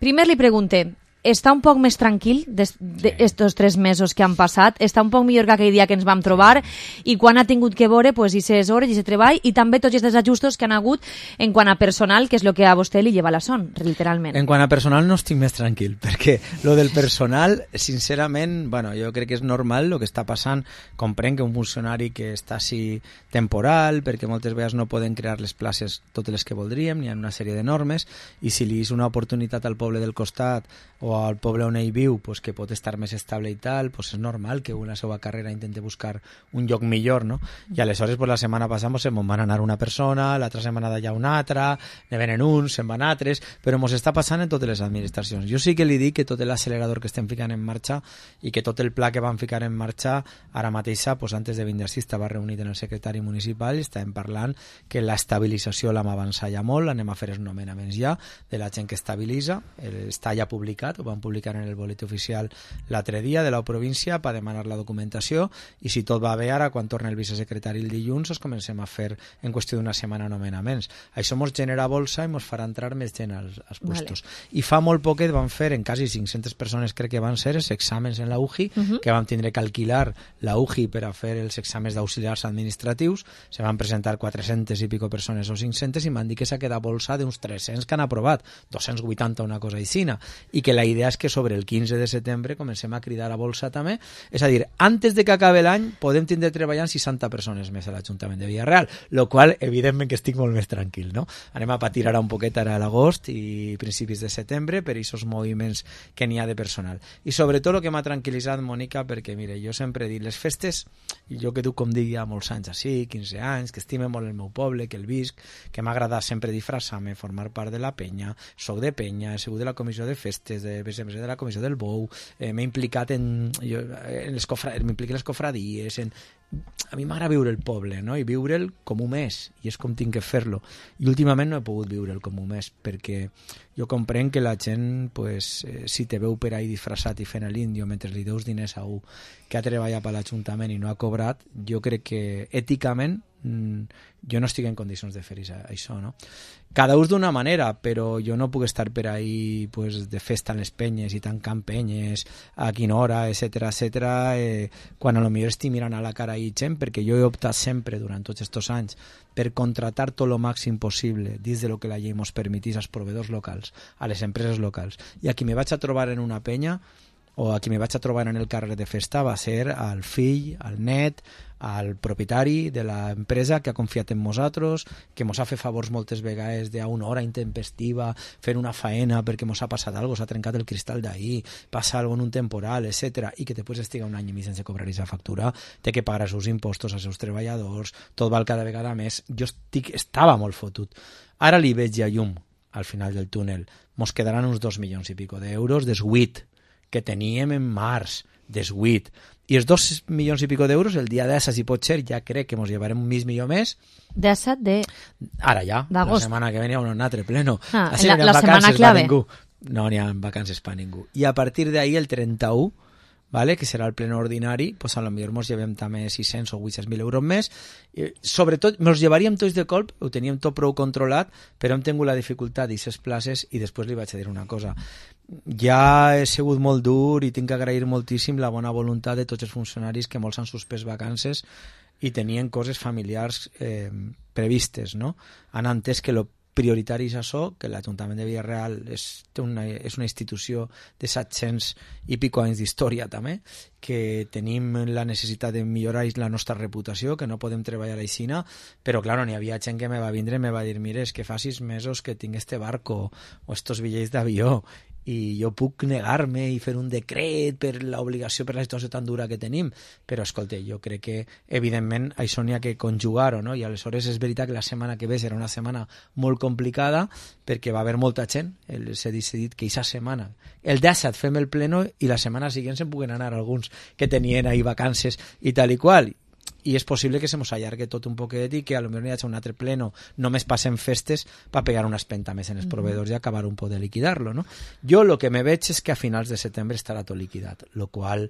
Primer li pregunte, està un poc més tranquil d'estos tres mesos que han passat? Està un poc millor que aquell dia que ens vam trobar? I quan ha tingut que veure pues, aquestes hores, aquest treball, i també tots aquests ajustos que han hagut en quant a personal, que és el que a vostè li lleva la son, literalment. En quant a personal no estic més tranquil, perquè lo del personal, sincerament, bueno, jo crec que és normal el que està passant. Comprenc que un funcionari que està així temporal, perquè moltes vegades no poden crear les places totes les que voldríem, n'hi ha una sèrie de normes, i si li és una oportunitat al poble del costat o al poble on ell viu, pues, que pot estar més estable i tal, pues, és normal que una seva carrera intente buscar un lloc millor, no? I aleshores pues, la setmana passada pues, se'n van anar una persona, l'altra setmana d'allà una altra, ne venen uns, se'n van altres, però ens està passant en totes les administracions. Jo sí que li dic que tot l'accelerador que estem ficant en marxa i que tot el pla que van ficar en marxa ara mateixa, pues, antes de vindre així, estava reunit en el secretari municipal i estàvem parlant que l'estabilització l'hem avançat ja molt, anem a fer els nomenaments ja de la gent que estabilitza, està ja publicat, ho van publicar en el boletí oficial l'altre dia de la província per demanar la documentació, i si tot va bé ara, quan torna el vicesecretari el dilluns, es comencem a fer en qüestió d'una setmana nomenaments. Això ens genera bolsa i ens farà entrar més gent als, als puestos. Vale. I fa molt poquet van fer, en quasi cinc-centes persones crec que van ser, els exàmens en la U J I, uh -huh. que vam tindre que alquilar la U J I per a fer els exàmens d'auxiliars administratius. Se van presentar quatre-centes i pico persones o cinc-centes i m'han dit que s'ha quedat bolsa d'uns tres-cents que han aprovat, dos-cents vuitanta una cosa aixina, i que la idea és que sobre el quinze de setembre comencem a cridar a bolsa també, és a dir, antes de que acabe l'any podem tindre treballant seixanta persones més a l'Ajuntament de Villarreal, lo qual evidentment que estic molt més tranquil, no? Anem a patir ara un poquet ara a l'agost i principis de setembre per aquests moviments que n'hi ha de personal. I sobretot el que m'ha tranquil·litzat, Mònica, perquè mire, jo sempre he dit, les festes, i jo que tu com dic ja molts anys així, quinze anys, que estime molt el meu poble, que el visc, que m'ha agradat sempre disfressar-me, formar part de la penya, soc de penya, he sigut de la comissió de festes, de de la comissió del Bou, eh, m'he implicat en, jo, en les cofra, m'impliqué en les cofradies, en, a mi m'agrada viure el poble, no? I viure'l com un mes, i és com tinc que fer-lo. I últimament no he pogut viure'l com un mes, perquè jo comprenc que la gent, pues, eh, si te veu per ahí disfressat i fent l'índio mentre li deus diners a un que ha treballat per l'Ajuntament i no ha cobrat, jo crec que èticament mm, jo no estic en condicions de fer això, no? Cada ús d'una manera, però jo no puc estar per ahí pues, de festa en les penyes i tancant penyes a quina hora, etcètera, etcètera, eh, quan a lo millor estic mirant a la cara i gent, perquè jo he optat sempre durant tots aquests anys per contratar tot el màxim possible dins de lo que la llei ens permetís als proveïdors locals, a les empreses locals. I a qui me vaig a trobar en una penya o a qui me vaig a trobar en el carrer de festa va ser al fill, al net, al propietari de l'empresa que ha confiat en nosaltres, que ens ha fet favors moltes vegades d'una una hora intempestiva, fent una faena perquè ens ha passat alguna cosa, s'ha trencat el cristal d'ahir, passa alguna cosa en un temporal, etcètera, i que després estiga un any i mig sense cobrar aquesta factura, té que pagar els seus impostos als seus treballadors, tot val cada vegada més. Jo estic, estava molt fotut. Ara li veig ja llum al final del túnel. Ens quedaran uns dos milions i pico d'euros deshuit que teníem en març, deshuit. I els dos milions i pico d'euros, el dia d'essa, si pot ser, ja crec que ens llevarem un mig milió més. D'essa de... Ara ja, la setmana que ve hi ha un altre pleno. Ah, la, la setmana clave. No n'hi ha vacances per ningú. I a partir d'ahir, el trenta-u, vale, que serà el pleno ordinari, pues a lo millor ens llevem també sis-cents o vuit-cents mil euros més. I, sobretot, ens llevaríem tots de colp, ho teníem tot prou controlat, però hem tingut la dificultat d'aquestes places i després li vaig a dir una cosa. Ja he sigut molt dur i tinc que agrair moltíssim la bona voluntat de tots els funcionaris que molts han suspès vacances i tenien coses familiars eh, previstes, no? Han entès que el prioritari és això, que l'Ajuntament de Villarreal és una, és una institució de set-cents i pico anys d'història també, que tenim la necessitat de millorar la nostra reputació, que no podem treballar aixina, però clar, n'hi havia gent que me va vindre i me va dir, mira, és que fa sis mesos que tinc este barco o estos bitllets d'avió i jo puc negar-me i fer un decret per l'obligació, per la situació tan dura que tenim, però escolta, jo crec que evidentment això n'hi ha que conjugar-ho, no? I aleshores és veritat que la setmana que ve serà una setmana molt complicada perquè va haver molta gent, s'ha decidit que aquesta setmana, el disset fem el pleno i la setmana següent se'n puguen anar alguns que tenien ahir vacances i tal i qual, i és possible que se mos allargue tot un poquet i que a lo millor hi hagi un altre pleno, només passen festes per pegar una espenta més en els proveïdors i acabar un poc de liquidar-lo, no? Jo el que me veig és que a finals de setembre estarà tot liquidat, el qual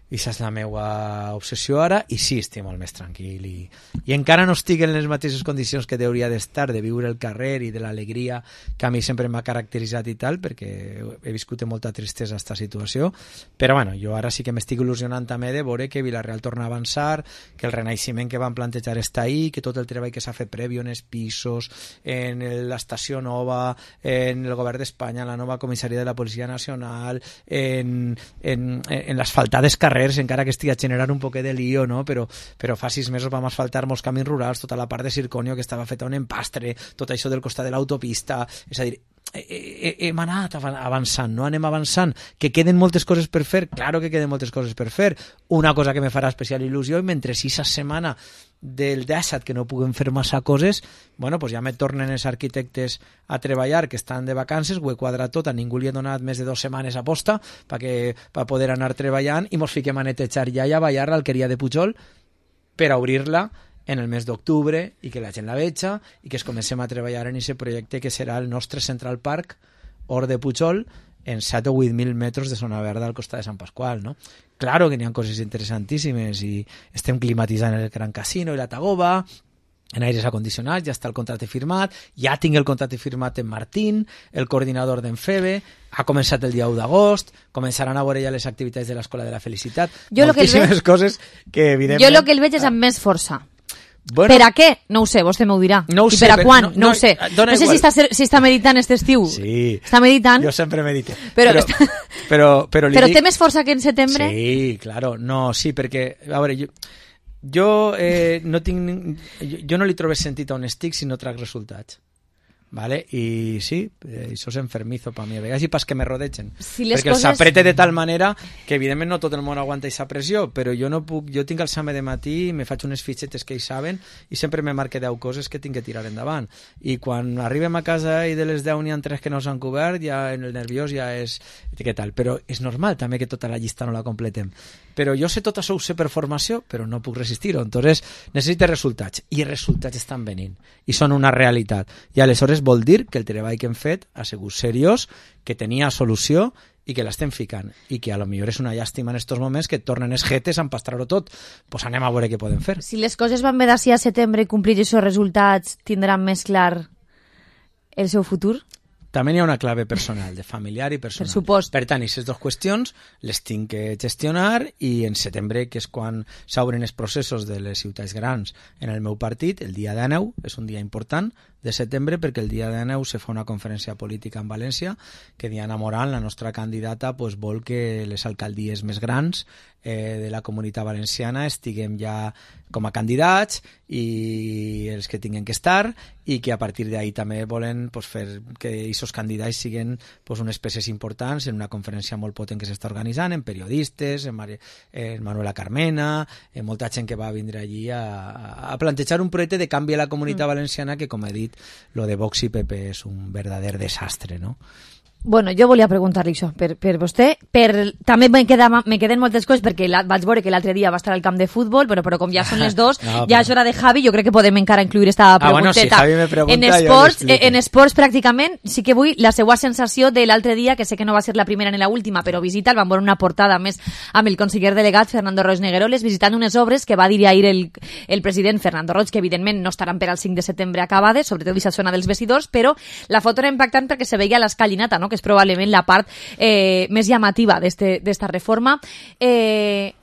aquesta és la meva obsessió ara, i sí, estic molt més tranquil i, i encara no estic en les mateixes condicions que hauria d'estar, de viure el carrer i de l'alegria que a mi sempre m'ha caracteritzat i tal, perquè he viscut amb molta tristesa aquesta situació, però bueno, jo ara sí que m'estic il·lusionant també de veure que Villarreal torna a avançar, que el renaixement que van plantejar està ahí, que tot el treball que s'ha fet previ en els pisos, en l'estació nova, en el govern d'Espanya, en la nova comissaria de la Policia Nacional, en, en, en l'asfaltades carrers, encara que estigui generant un poquet de lío, no? però, però fa sis mesos vam asfaltar molts camins rurals, tota la part de Circonio que estava feta un empastre, tot això del costat de l'autopista, és a dir, hem anat avançant, no anem avançant, que queden moltes coses per fer, claro que queden moltes coses per fer, una cosa que me farà especial il·lusió, i mentre sis setmana del disset que no puguem fer massa coses, bueno, pues ja me tornen els arquitectes a treballar, que estan de vacances, ho he quadrat tot, a ningú li he donat més de dues setmanes a posta per poder anar treballant, i mos fiquem a netejar ja i a ballar l'alqueria de Pujol per a obrir-la en el mes d'octubre i que la gent la veja i que es comencem a treballar en aquest projecte que serà el nostre Central Park Hort de Pujol en set o vuit mil metres de zona verda al costat de Sant Pasqual, no? Claro que n'hi ha coses interessantíssimes i estem climatitzant el Gran Casino i la Tagoba, en aires acondicionats, ja està el contracte firmat, ja tinc el contracte firmat en Martín, el coordinador d'Enfebe, ha començat el dia u d'agost, començaran a veure ja les activitats de l'Escola de la Felicitat, jo moltíssimes veig, coses que evidentment... Jo el que el veig és amb més força. Bueno, per a què? No ho sé, vostè m'ho dirà. No ho I sé, per a quan? No, no, no ho sé. No sé si està, si està meditant aquest estiu. Sí. Està meditant. Jo sempre medito. Però, però, està... però, però, però dic... té més força que en setembre? Sí, claro. No, sí, perquè, a veure, jo, jo eh, no tinc... Jo, jo no li trobo sentit on estic si no trac resultats. Vale? I sí, eh, això és enfermizo per mi a vegades i pas que me rodegen, si perquè coses... s'aprete de tal manera que evidentment no tot el món aguanta aquesta pressió, però jo no puc, jo tinc el examen de matí, me faig unes fitxetes que ells saben i sempre me marque deu coses que tinc que tirar endavant, i quan arribem a casa i de les deu n'hi ha tres que no s'han cobert, ja en el nerviós ja és què tal, però és normal també que tota la llista no la completem, però jo sé tot això, ho sé per formació, però no puc resistir-ho, entonces necessito resultats, i els resultats estan venint, i són una realitat, i aleshores vol dir que el treball que hem fet ha sigut seriós, que tenia solució i que l'estem ficant, i que a lo millor és una llàstima en estos moments que tornen els jetes a empastrar-ho tot, pues anem a veure què podem fer. Si les coses van bé d'ací a setembre i complir aquests resultats, tindran més clar el seu futur? També hi ha una clave personal, de familiar i personal. Per supost. Per tant, aquestes dues qüestions les tinc que gestionar, i en setembre, que és quan s'obren els processos de les ciutats grans en el meu partit, el dia dinou és un dia important de setembre, perquè el dia dinou se fa una conferència política en València que Diana Morán, la nostra candidata, pues, vol que les alcaldies més grans eh, de la comunitat valenciana estiguem ja com a candidats, i els que tinguin que estar, i que a partir d'ahí també volen pues, fer que aquests candidats siguin pues, unes peces importants en una conferència molt potent que s'està organitzant, en periodistes, en, Mar en Manuela Carmena, en molta gent que va vindre allí a, a plantejar un projecte de canvi a la comunitat mm. valenciana que, com he dit, lo de Vox i P P és un verdader desastre, no? Bueno, jo volia preguntar-li això per, per vostè. Per, també me, queda, me queden moltes coses perquè la, vaig veure que l'altre dia va estar al camp de futbol, però, però com ja són les dos, no, ja és hora de Javi, jo crec que podem encara incluir esta pregunteta. Ah, bueno, si Javi me pregunta, en esports, en esports pràcticament, sí que vull la seva sensació de l'altre dia, que sé que no va ser la primera ni la última, però visita, el van veure una portada més amb el conseller delegat Fernando Roig Negueroles, visitant unes obres que va dir ahir el, el president Fernando Roig, que evidentment no estaran per al cinc de setembre acabades, sobretot aquesta zona dels vestidors, però la foto era impactant perquè se veia l'escalinata, no? Que és probablement la part eh, més llamativa d'esta reforma. Eh,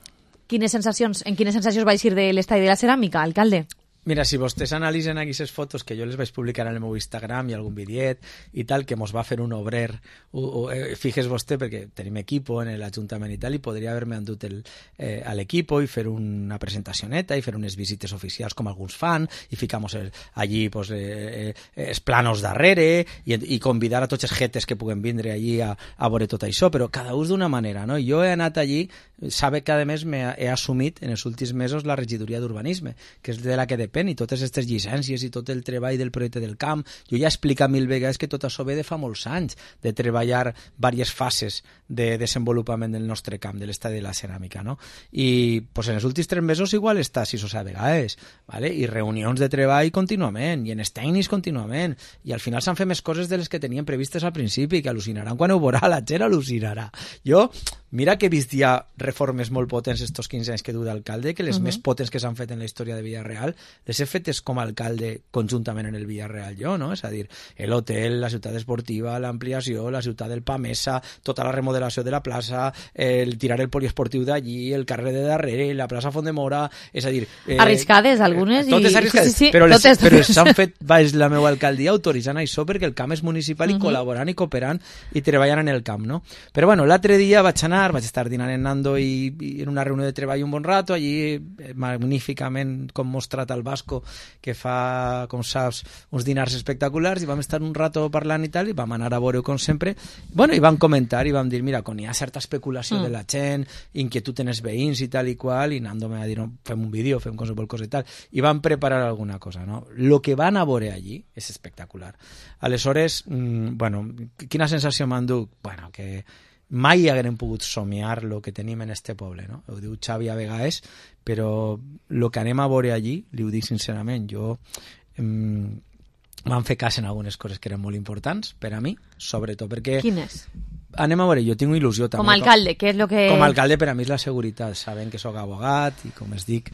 quines sensacions, en quines sensacions va eixir de l'estadi de la ceràmica, alcalde? Mira, si vostès analitzen aquí aquestes fotos que jo les vaig publicar en el meu Instagram i algun videet i tal, que mos va fer un obrer, o, o, eh, fijes vostè, perquè tenim equipo en l'Ajuntament i tal, i podria haver-me endut el, eh, a l'equipo i fer una presentacioneta i fer unes visites oficials com alguns fan, i ficamos el, allí pues, eh, eh, els planos darrere i, i convidar a tots els jetes que puguen vindre allí a, a veure tot això, però cada ús d'una manera, no? Jo he anat allí, sabe que a més me he assumit en els últims mesos la regidoria d'urbanisme, que és de la que depèn, i totes aquestes llicències i tot el treball del projecte del camp. Jo ja he explicat mil vegades que tot això ve de fa molts anys, de treballar diverses fases de desenvolupament del nostre camp, de l'estadi de la ceràmica, no? I pues, en els últims tres mesos igual està sis o set vegades, ¿vale? I reunions de treball contínuament, i en els tècnics contínuament, i al final s'han fet més coses de les que tenien previstes al principi, que al·lucinaran quan ho veurà, la gent al·lucinarà. Jo, mira que he vist ja reformes molt potents estos quinze anys que du d'alcalde, que les uh -huh. més potents que s'han fet en la història de Villarreal les he fetes com a alcalde conjuntament en el Villarreal jo, no? És a dir, l'hotel, la ciutat esportiva, l'ampliació, la ciutat del Pamesa, tota la remodelació de la plaça, el tirar el poliesportiu d'allí, el carrer de darrere, la plaça Font de Mora, és a dir... Eh, arriscades, algunes. Eh, totes i... arriscades, sí, sí, però, les, totes, però s'han fet baix la meva alcaldia autoritzant això perquè el camp és municipal i uh -huh. col·laborant i cooperant i treballant en el camp, no? Però bueno, l'altre dia vaig anar, vaig estar dinant en Nando i, i en una reunió de treball un bon rato, allí magníficament com mostrat al Vasco, que fa, com saps, uns dinars espectaculars, i vam estar un rato parlant i tal, i vam anar a veure com sempre, bueno, i vam comentar i vam dir, mira, quan hi ha certa especulació mm. de la gent, inquietud en els veïns i tal i qual, i Nando me va dir, no, fem un vídeo, fem qualsevol cosa i tal, i vam preparar alguna cosa, no? Lo que van a veure allí és espectacular. Aleshores, mmm, bueno, quina sensació m'enduc? Bueno, que mai haguem pogut somiar el que tenim en este poble, no? Ho diu Xavi a vegades, però el que anem a veure allí, li ho dic sincerament, jo em, vam fer cas en algunes coses que eren molt importants per a mi, sobretot perquè... Quines? Anem a veure, jo tinc il·lusió també. Com a alcalde, què és el que... Com a alcalde per a mi és la seguretat, saben que sóc abogat i com es dic,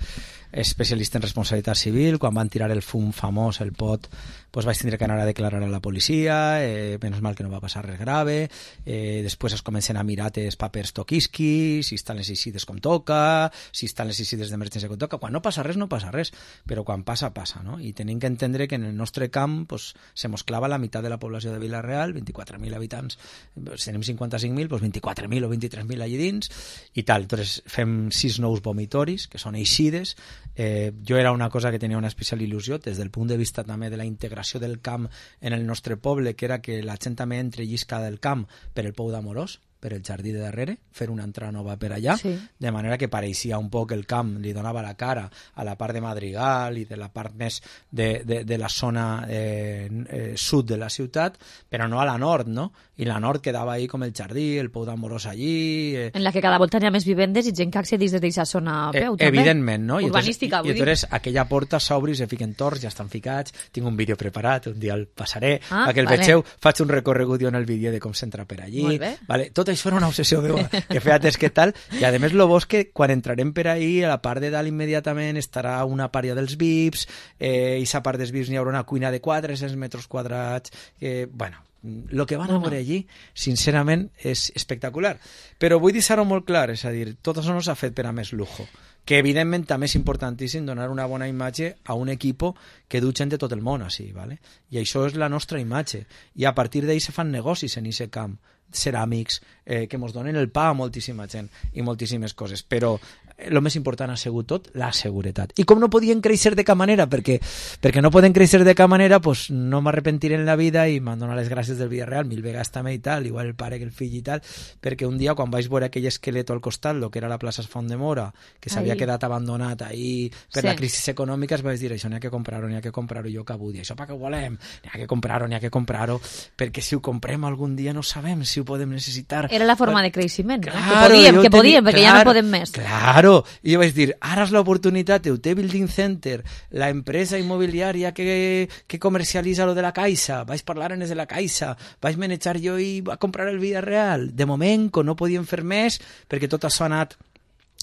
especialista en responsabilitat civil. Quan van tirar el fum famós, el pot, doncs vaig tindre que anar a declarar a la policia, eh, menys mal que no va passar res grave, eh, després es comencen a mirar els papers toquisqui, si estan les eixides com toca, si estan les eixides d'emergència com toca. Quan no passa res, no passa res, però quan passa, passa, no? I tenim que entendre que en el nostre camp pues, se mos clava la meitat de la població de Vila-real, vint-i-quatre mil habitants, pues, tenim cinquanta-cinc mil, doncs vint-i-quatre mil o vint-i-tres mil allà dins, i tal. Entonces fem sis nous vomitoris, que són eixides. Eh, jo era una cosa que tenia una especial il·lusió des del punt de vista també de la integració del camp en el nostre poble, que era que la gent també entre lliscada del camp per el Pou d'Amorós, per el jardí de darrere, fer una entrada nova per allà, sí. De manera que pareixia un poc el camp, li donava la cara a la part de Madrigal i de la part més de, de, de la zona eh, eh, sud de la ciutat, però no a la nord, no? I la nord quedava ahí com el jardí, el Pou d'Amorós allí... Eh. En la que cada volta hi ha més vivendes i gent que accedís des d'aquesta zona a peu, eh, també. Evidentment, no? Urbanística, I entonces aquella porta s'obre i se fiquen torts, ja estan ficats, tinc un vídeo preparat, un dia el passaré, ah, perquè el vale. Vegeu, faig un recorregut en el vídeo de com s'entra per allí. Molt bé. Vale? Tot això era una obsessió meva, que feia temps que tal, i a més lo bo és que quan entrarem per ahí, a la part de dalt immediatament estarà una pària dels V I Ps, eh, i a part dels V I Ps n'hi haurà una cuina de quatre-cents metres quadrats, que, bueno, el que van a veure allí, sincerament, és espectacular. Però vull deixar-ho molt clar, és a dir, tot això no s'ha fet per a més lujo, que evidentment també és importantíssim donar una bona imatge a un equip que du gent de tot el món així, ¿vale? I això és la nostra imatge, i a partir d'ahí se fan negocis en aquest camp, ceràmics, eh, que ens donen el pa a moltíssima gent i moltíssimes coses, però el més important ha sigut tot la seguretat. I com no podien créixer de cap manera, perquè, perquè no poden créixer de cap manera, pues no m'arrepentiré en la vida i m'han donat les gràcies del Villarreal, mil vegades també i tal, igual el pare que el fill i tal, perquè un dia quan vaig veure aquell esqueleto al costat, lo que era la plaça Font de Mora, que s'havia quedat abandonat ahí per sí. La crisi econòmica, es vaig dir, això n'hi ha que comprar-ho, n'hi ha que comprar-ho, jo que vull dir, això per què ho volem? N'hi ha que comprar-ho, n'hi ha que comprar-ho, perquè si ho comprem algun dia no sabem si ho podem necessitar. Era la forma de creixement, claro, no? Que podíem, que podíem, perquè claro, ja no podem més. Claro, i jo vaig dir, ara és l'oportunitat, el T Building Center, la empresa immobiliària que, que comercialitza lo de la Caixa, vaig parlar en els de la Caixa, vaig manejar jo i va comprar el Villarreal. De moment, no podíem fer més, perquè tot això ha anat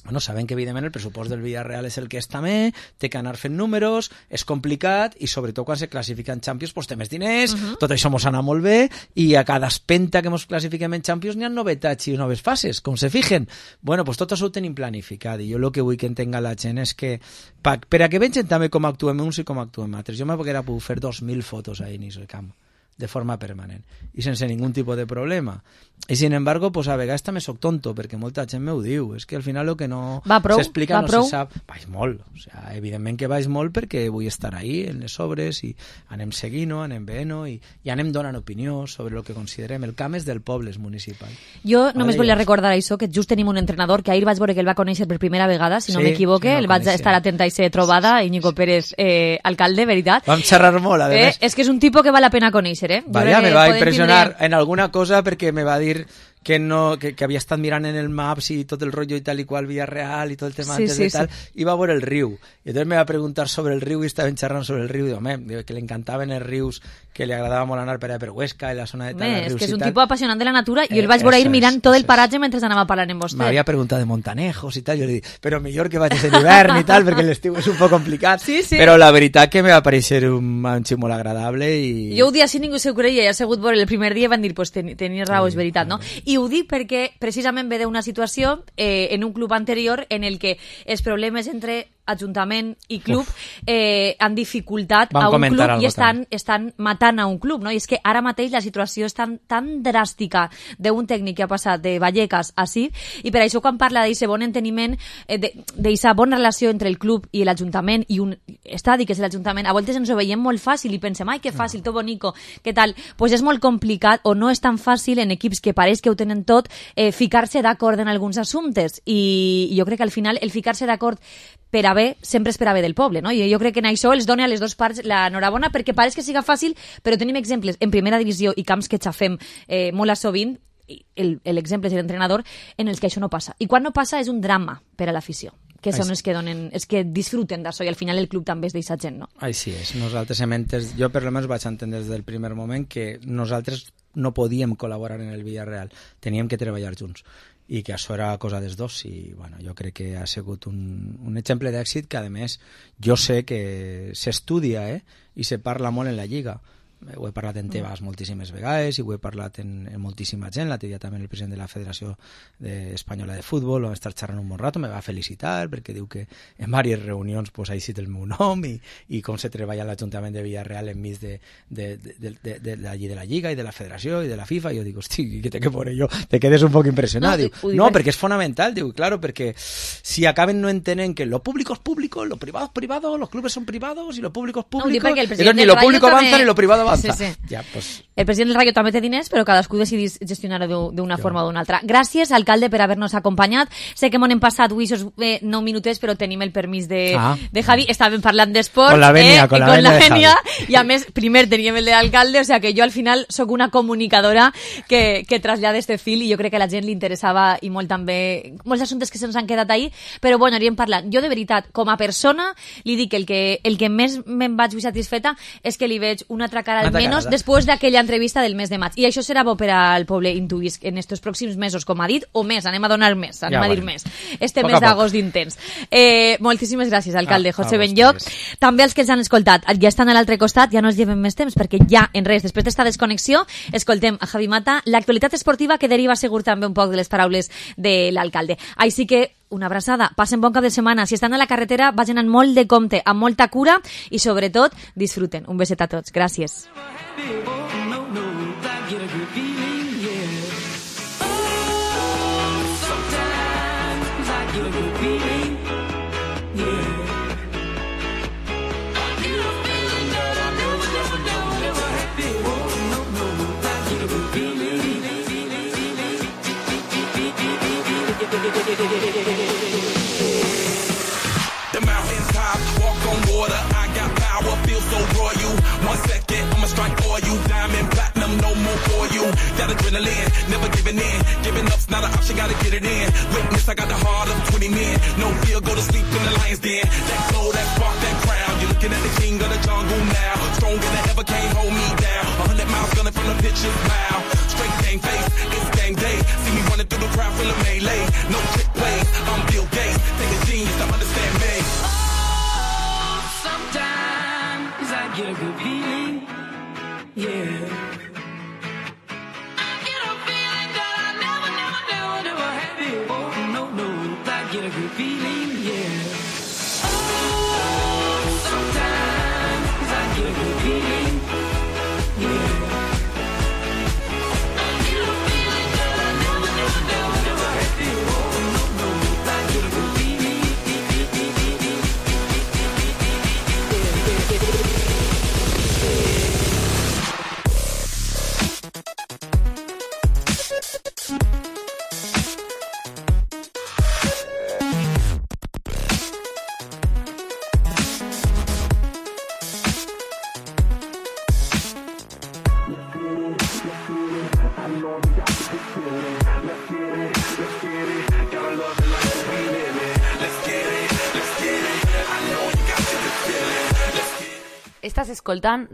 Bueno, saben que, evidentment, el pressupost del Villarreal és el que és també, té que anar fent números, és complicat, i sobretot quan se classifica en Champions pues, té més diners, uh -huh. tot això mos anar molt bé, i a cada espenta que mos classifiquem en Champions n'hi ha novetats i noves fases, com se fijen. Bueno, pues tot això ho tenim planificat, i jo el que vull que entenga la gent és que, pa, per a que vegin també com actuem uns i com actuem altres, jo m'haguera pogut fer dos mil fotos a inici del camp, de forma permanent i sense ningún tipus de problema. I sin embargo, pues a vegades també soc tonto, perquè molta gent m'ho diu, és que al final el que no s'explica no prou. se sap. Vaig molt, o sea, evidentment que vaig molt perquè vull estar ahí en les obres i anem seguint-ho, anem veient-ho i, i anem donant opinió sobre el que considerem. El camp és del poble, és municipal. Jo només volia recordar això, que just tenim un entrenador que ahir vaig veure que el va conèixer per primera vegada, si no sí, m'equivoque, sí, no el vaig estar atenta i ser trobada, Íñigo Pérez, eh, alcalde, veritat. Vam xerrar molt, a més. Eh, és que és un tipus que val la pena conèixer, eh? Vaya, me va impressionar tindre... en alguna cosa perquè me va dir que, no, que, que havia estat mirant en el Maps i tot el rotllo i tal i qual Villarreal i tot el tema sí, antes sí, de tal, sí. I va veure el riu. I entonces me va preguntar sobre el riu i estaven xerrant sobre el riu i home, que li encantaven els rius, que li agradava molt anar per allà per Huesca i la zona de tal, Bé, rius és que és un tal. tipus apassionant de la natura i eh, el vaig veure ir mirant és, tot el paratge mentre anava parlant amb vostè. M'havia preguntat de Montanejos i tal, jo li dic, però millor que vagis en hivern i tal, perquè l'estiu és un poc complicat, sí, sí. Però la veritat que me va pareixer un, un xic molt agradable i... Jo ho dic així, ningú s'ho creia, ja ha sigut veure el primer dia i van dir, pues ten, tenies raó, sí, és veritat, no? I ho dic perquè precisament ve d'una situació eh, en un club anterior en el que els problemes entre Ajuntament i club eh, han dificultat Vam a un club i estan, també. estan matant a un club, no? I és que ara mateix la situació és tan, tan dràstica d'un tècnic que ha passat de Vallecas a Cid, i per això quan parla d'aquest bon enteniment, eh, d'aquesta bona relació entre el club i l'Ajuntament i un estadi que és l'Ajuntament, a voltes ens ho veiem molt fàcil i pensem, ai, que fàcil, tot bonico, què tal? Pues és molt complicat o no és tan fàcil en equips que pareix que ho tenen tot eh, ficar-se d'acord en alguns assumptes, i jo crec que al final el ficar-se d'acord per a bé, sempre és per a bé del poble, no? I jo crec que en això els dona a les dues parts l'enhorabona, perquè pareix que siga fàcil, però tenim exemples en primera divisió i camps que xafem eh, molt a sovint, l'exemple és l'entrenador, en els que això no passa. I quan no passa és un drama per a l'afició, que són els que donen, els que disfruten d'això, i al final el club també és d'eixa gent, no? Així és. Nosaltres hem entès, jo per almenys vaig entendre des del primer moment que nosaltres no podíem col·laborar en el Villarreal, teníem que treballar junts, i que això era cosa dels dos, i bueno, jo crec que ha sigut un, un exemple d'èxit que a més jo sé que s'estudia eh? I se parla molt en la Lliga. Ho he parlat en Tebas moltíssimes vegades i ho he parlat en, en moltíssima gent. L'altre dia també el president de la Federació de Espanyola de Futbol vam estar xerrant un bon rato, me va felicitar perquè diu que en diverses reunions pues, ha eixit el meu nom i, i com se treballa a l'Ajuntament de Villarreal enmig de, de, de, de, de, de, la, de la Lliga i de la Federació i de la FIFA. I jo dic, hosti, què té que poner jo? Te quedes un poc impressionat. No, diu, no perquè és fonamental, diu, claro, perquè si acaben no entenen que lo público es público, lo privado es privado, los clubes son privados y lo público es público, no, entonces ni lo público avanza ni lo privado avanza. Sí, sí. Ja, pues... El president del Rayo també té diners, però cadascú decidís gestionar-ho d'una forma o d'una altra. Gràcies, alcalde, per haver-nos acompanyat. Sé que m'ho hem passat avui esos eh, nou minutets, però tenim el permís de, ah. de Javi. Estàvem parlant d'esport. Con la venia, eh, con la, con la venia. I a més, primer teníem el de l'alcalde, o sea que jo al final sóc una comunicadora que, que trasllada este fil, i jo crec que a la gent li interessava i molt també, molts assumptes que se'ns han quedat ahí, però bueno, anirem parlant. Jo de veritat, com a persona, li dic que el que, el que més me'n vaig satisfeta és que li veig una altra cara almenys després d'aquella entrevista del mes de maig. I això serà bo per al poble intuïs en estos pròxims mesos, com ha dit, o més, anem a donar més, anem ja, a dir bueno. més. Este poc mes d'agost d'intens. Eh, moltíssimes gràcies, alcalde ah, José Benlloch. També els que ens han escoltat, ja estan a l'altre costat, ja no els llevem més temps, perquè ja, en res, després d'esta desconnexió, escoltem a Javi Mata, l'actualitat esportiva que deriva segur també un poc de les paraules de l'alcalde. Així que una abraçada, passen bon cap de setmana. Si estan a la carretera, vagin amb molt de compte, amb molta cura i, sobretot, disfruten. Un beset a tots. Gràcies. The mountains top, walk on water, I got power, feel so royal. One second, I'ma strike for you, diamond, platinum, no more for you. That adrenaline, never giving in, giving up's not an option, gotta get it in. Witness, I got the heart of twenty men, no fear, go to sleep in the lion's den. That glow, that spark, that crown, you're looking at the king of the jungle now. Stronger than ever, can't hold me down. A hundred miles gunning from the pitcher's mouth. Straight game face, it's game day. See me running through the crowd, full of melee. No trick plays, I'm Bill Gates. the feeling, yeah. Oh, sometimes I get the feeling, yeah. I get a feeling that I never, never, never, never had before. No, no, I get the feeling, Estàs escoltant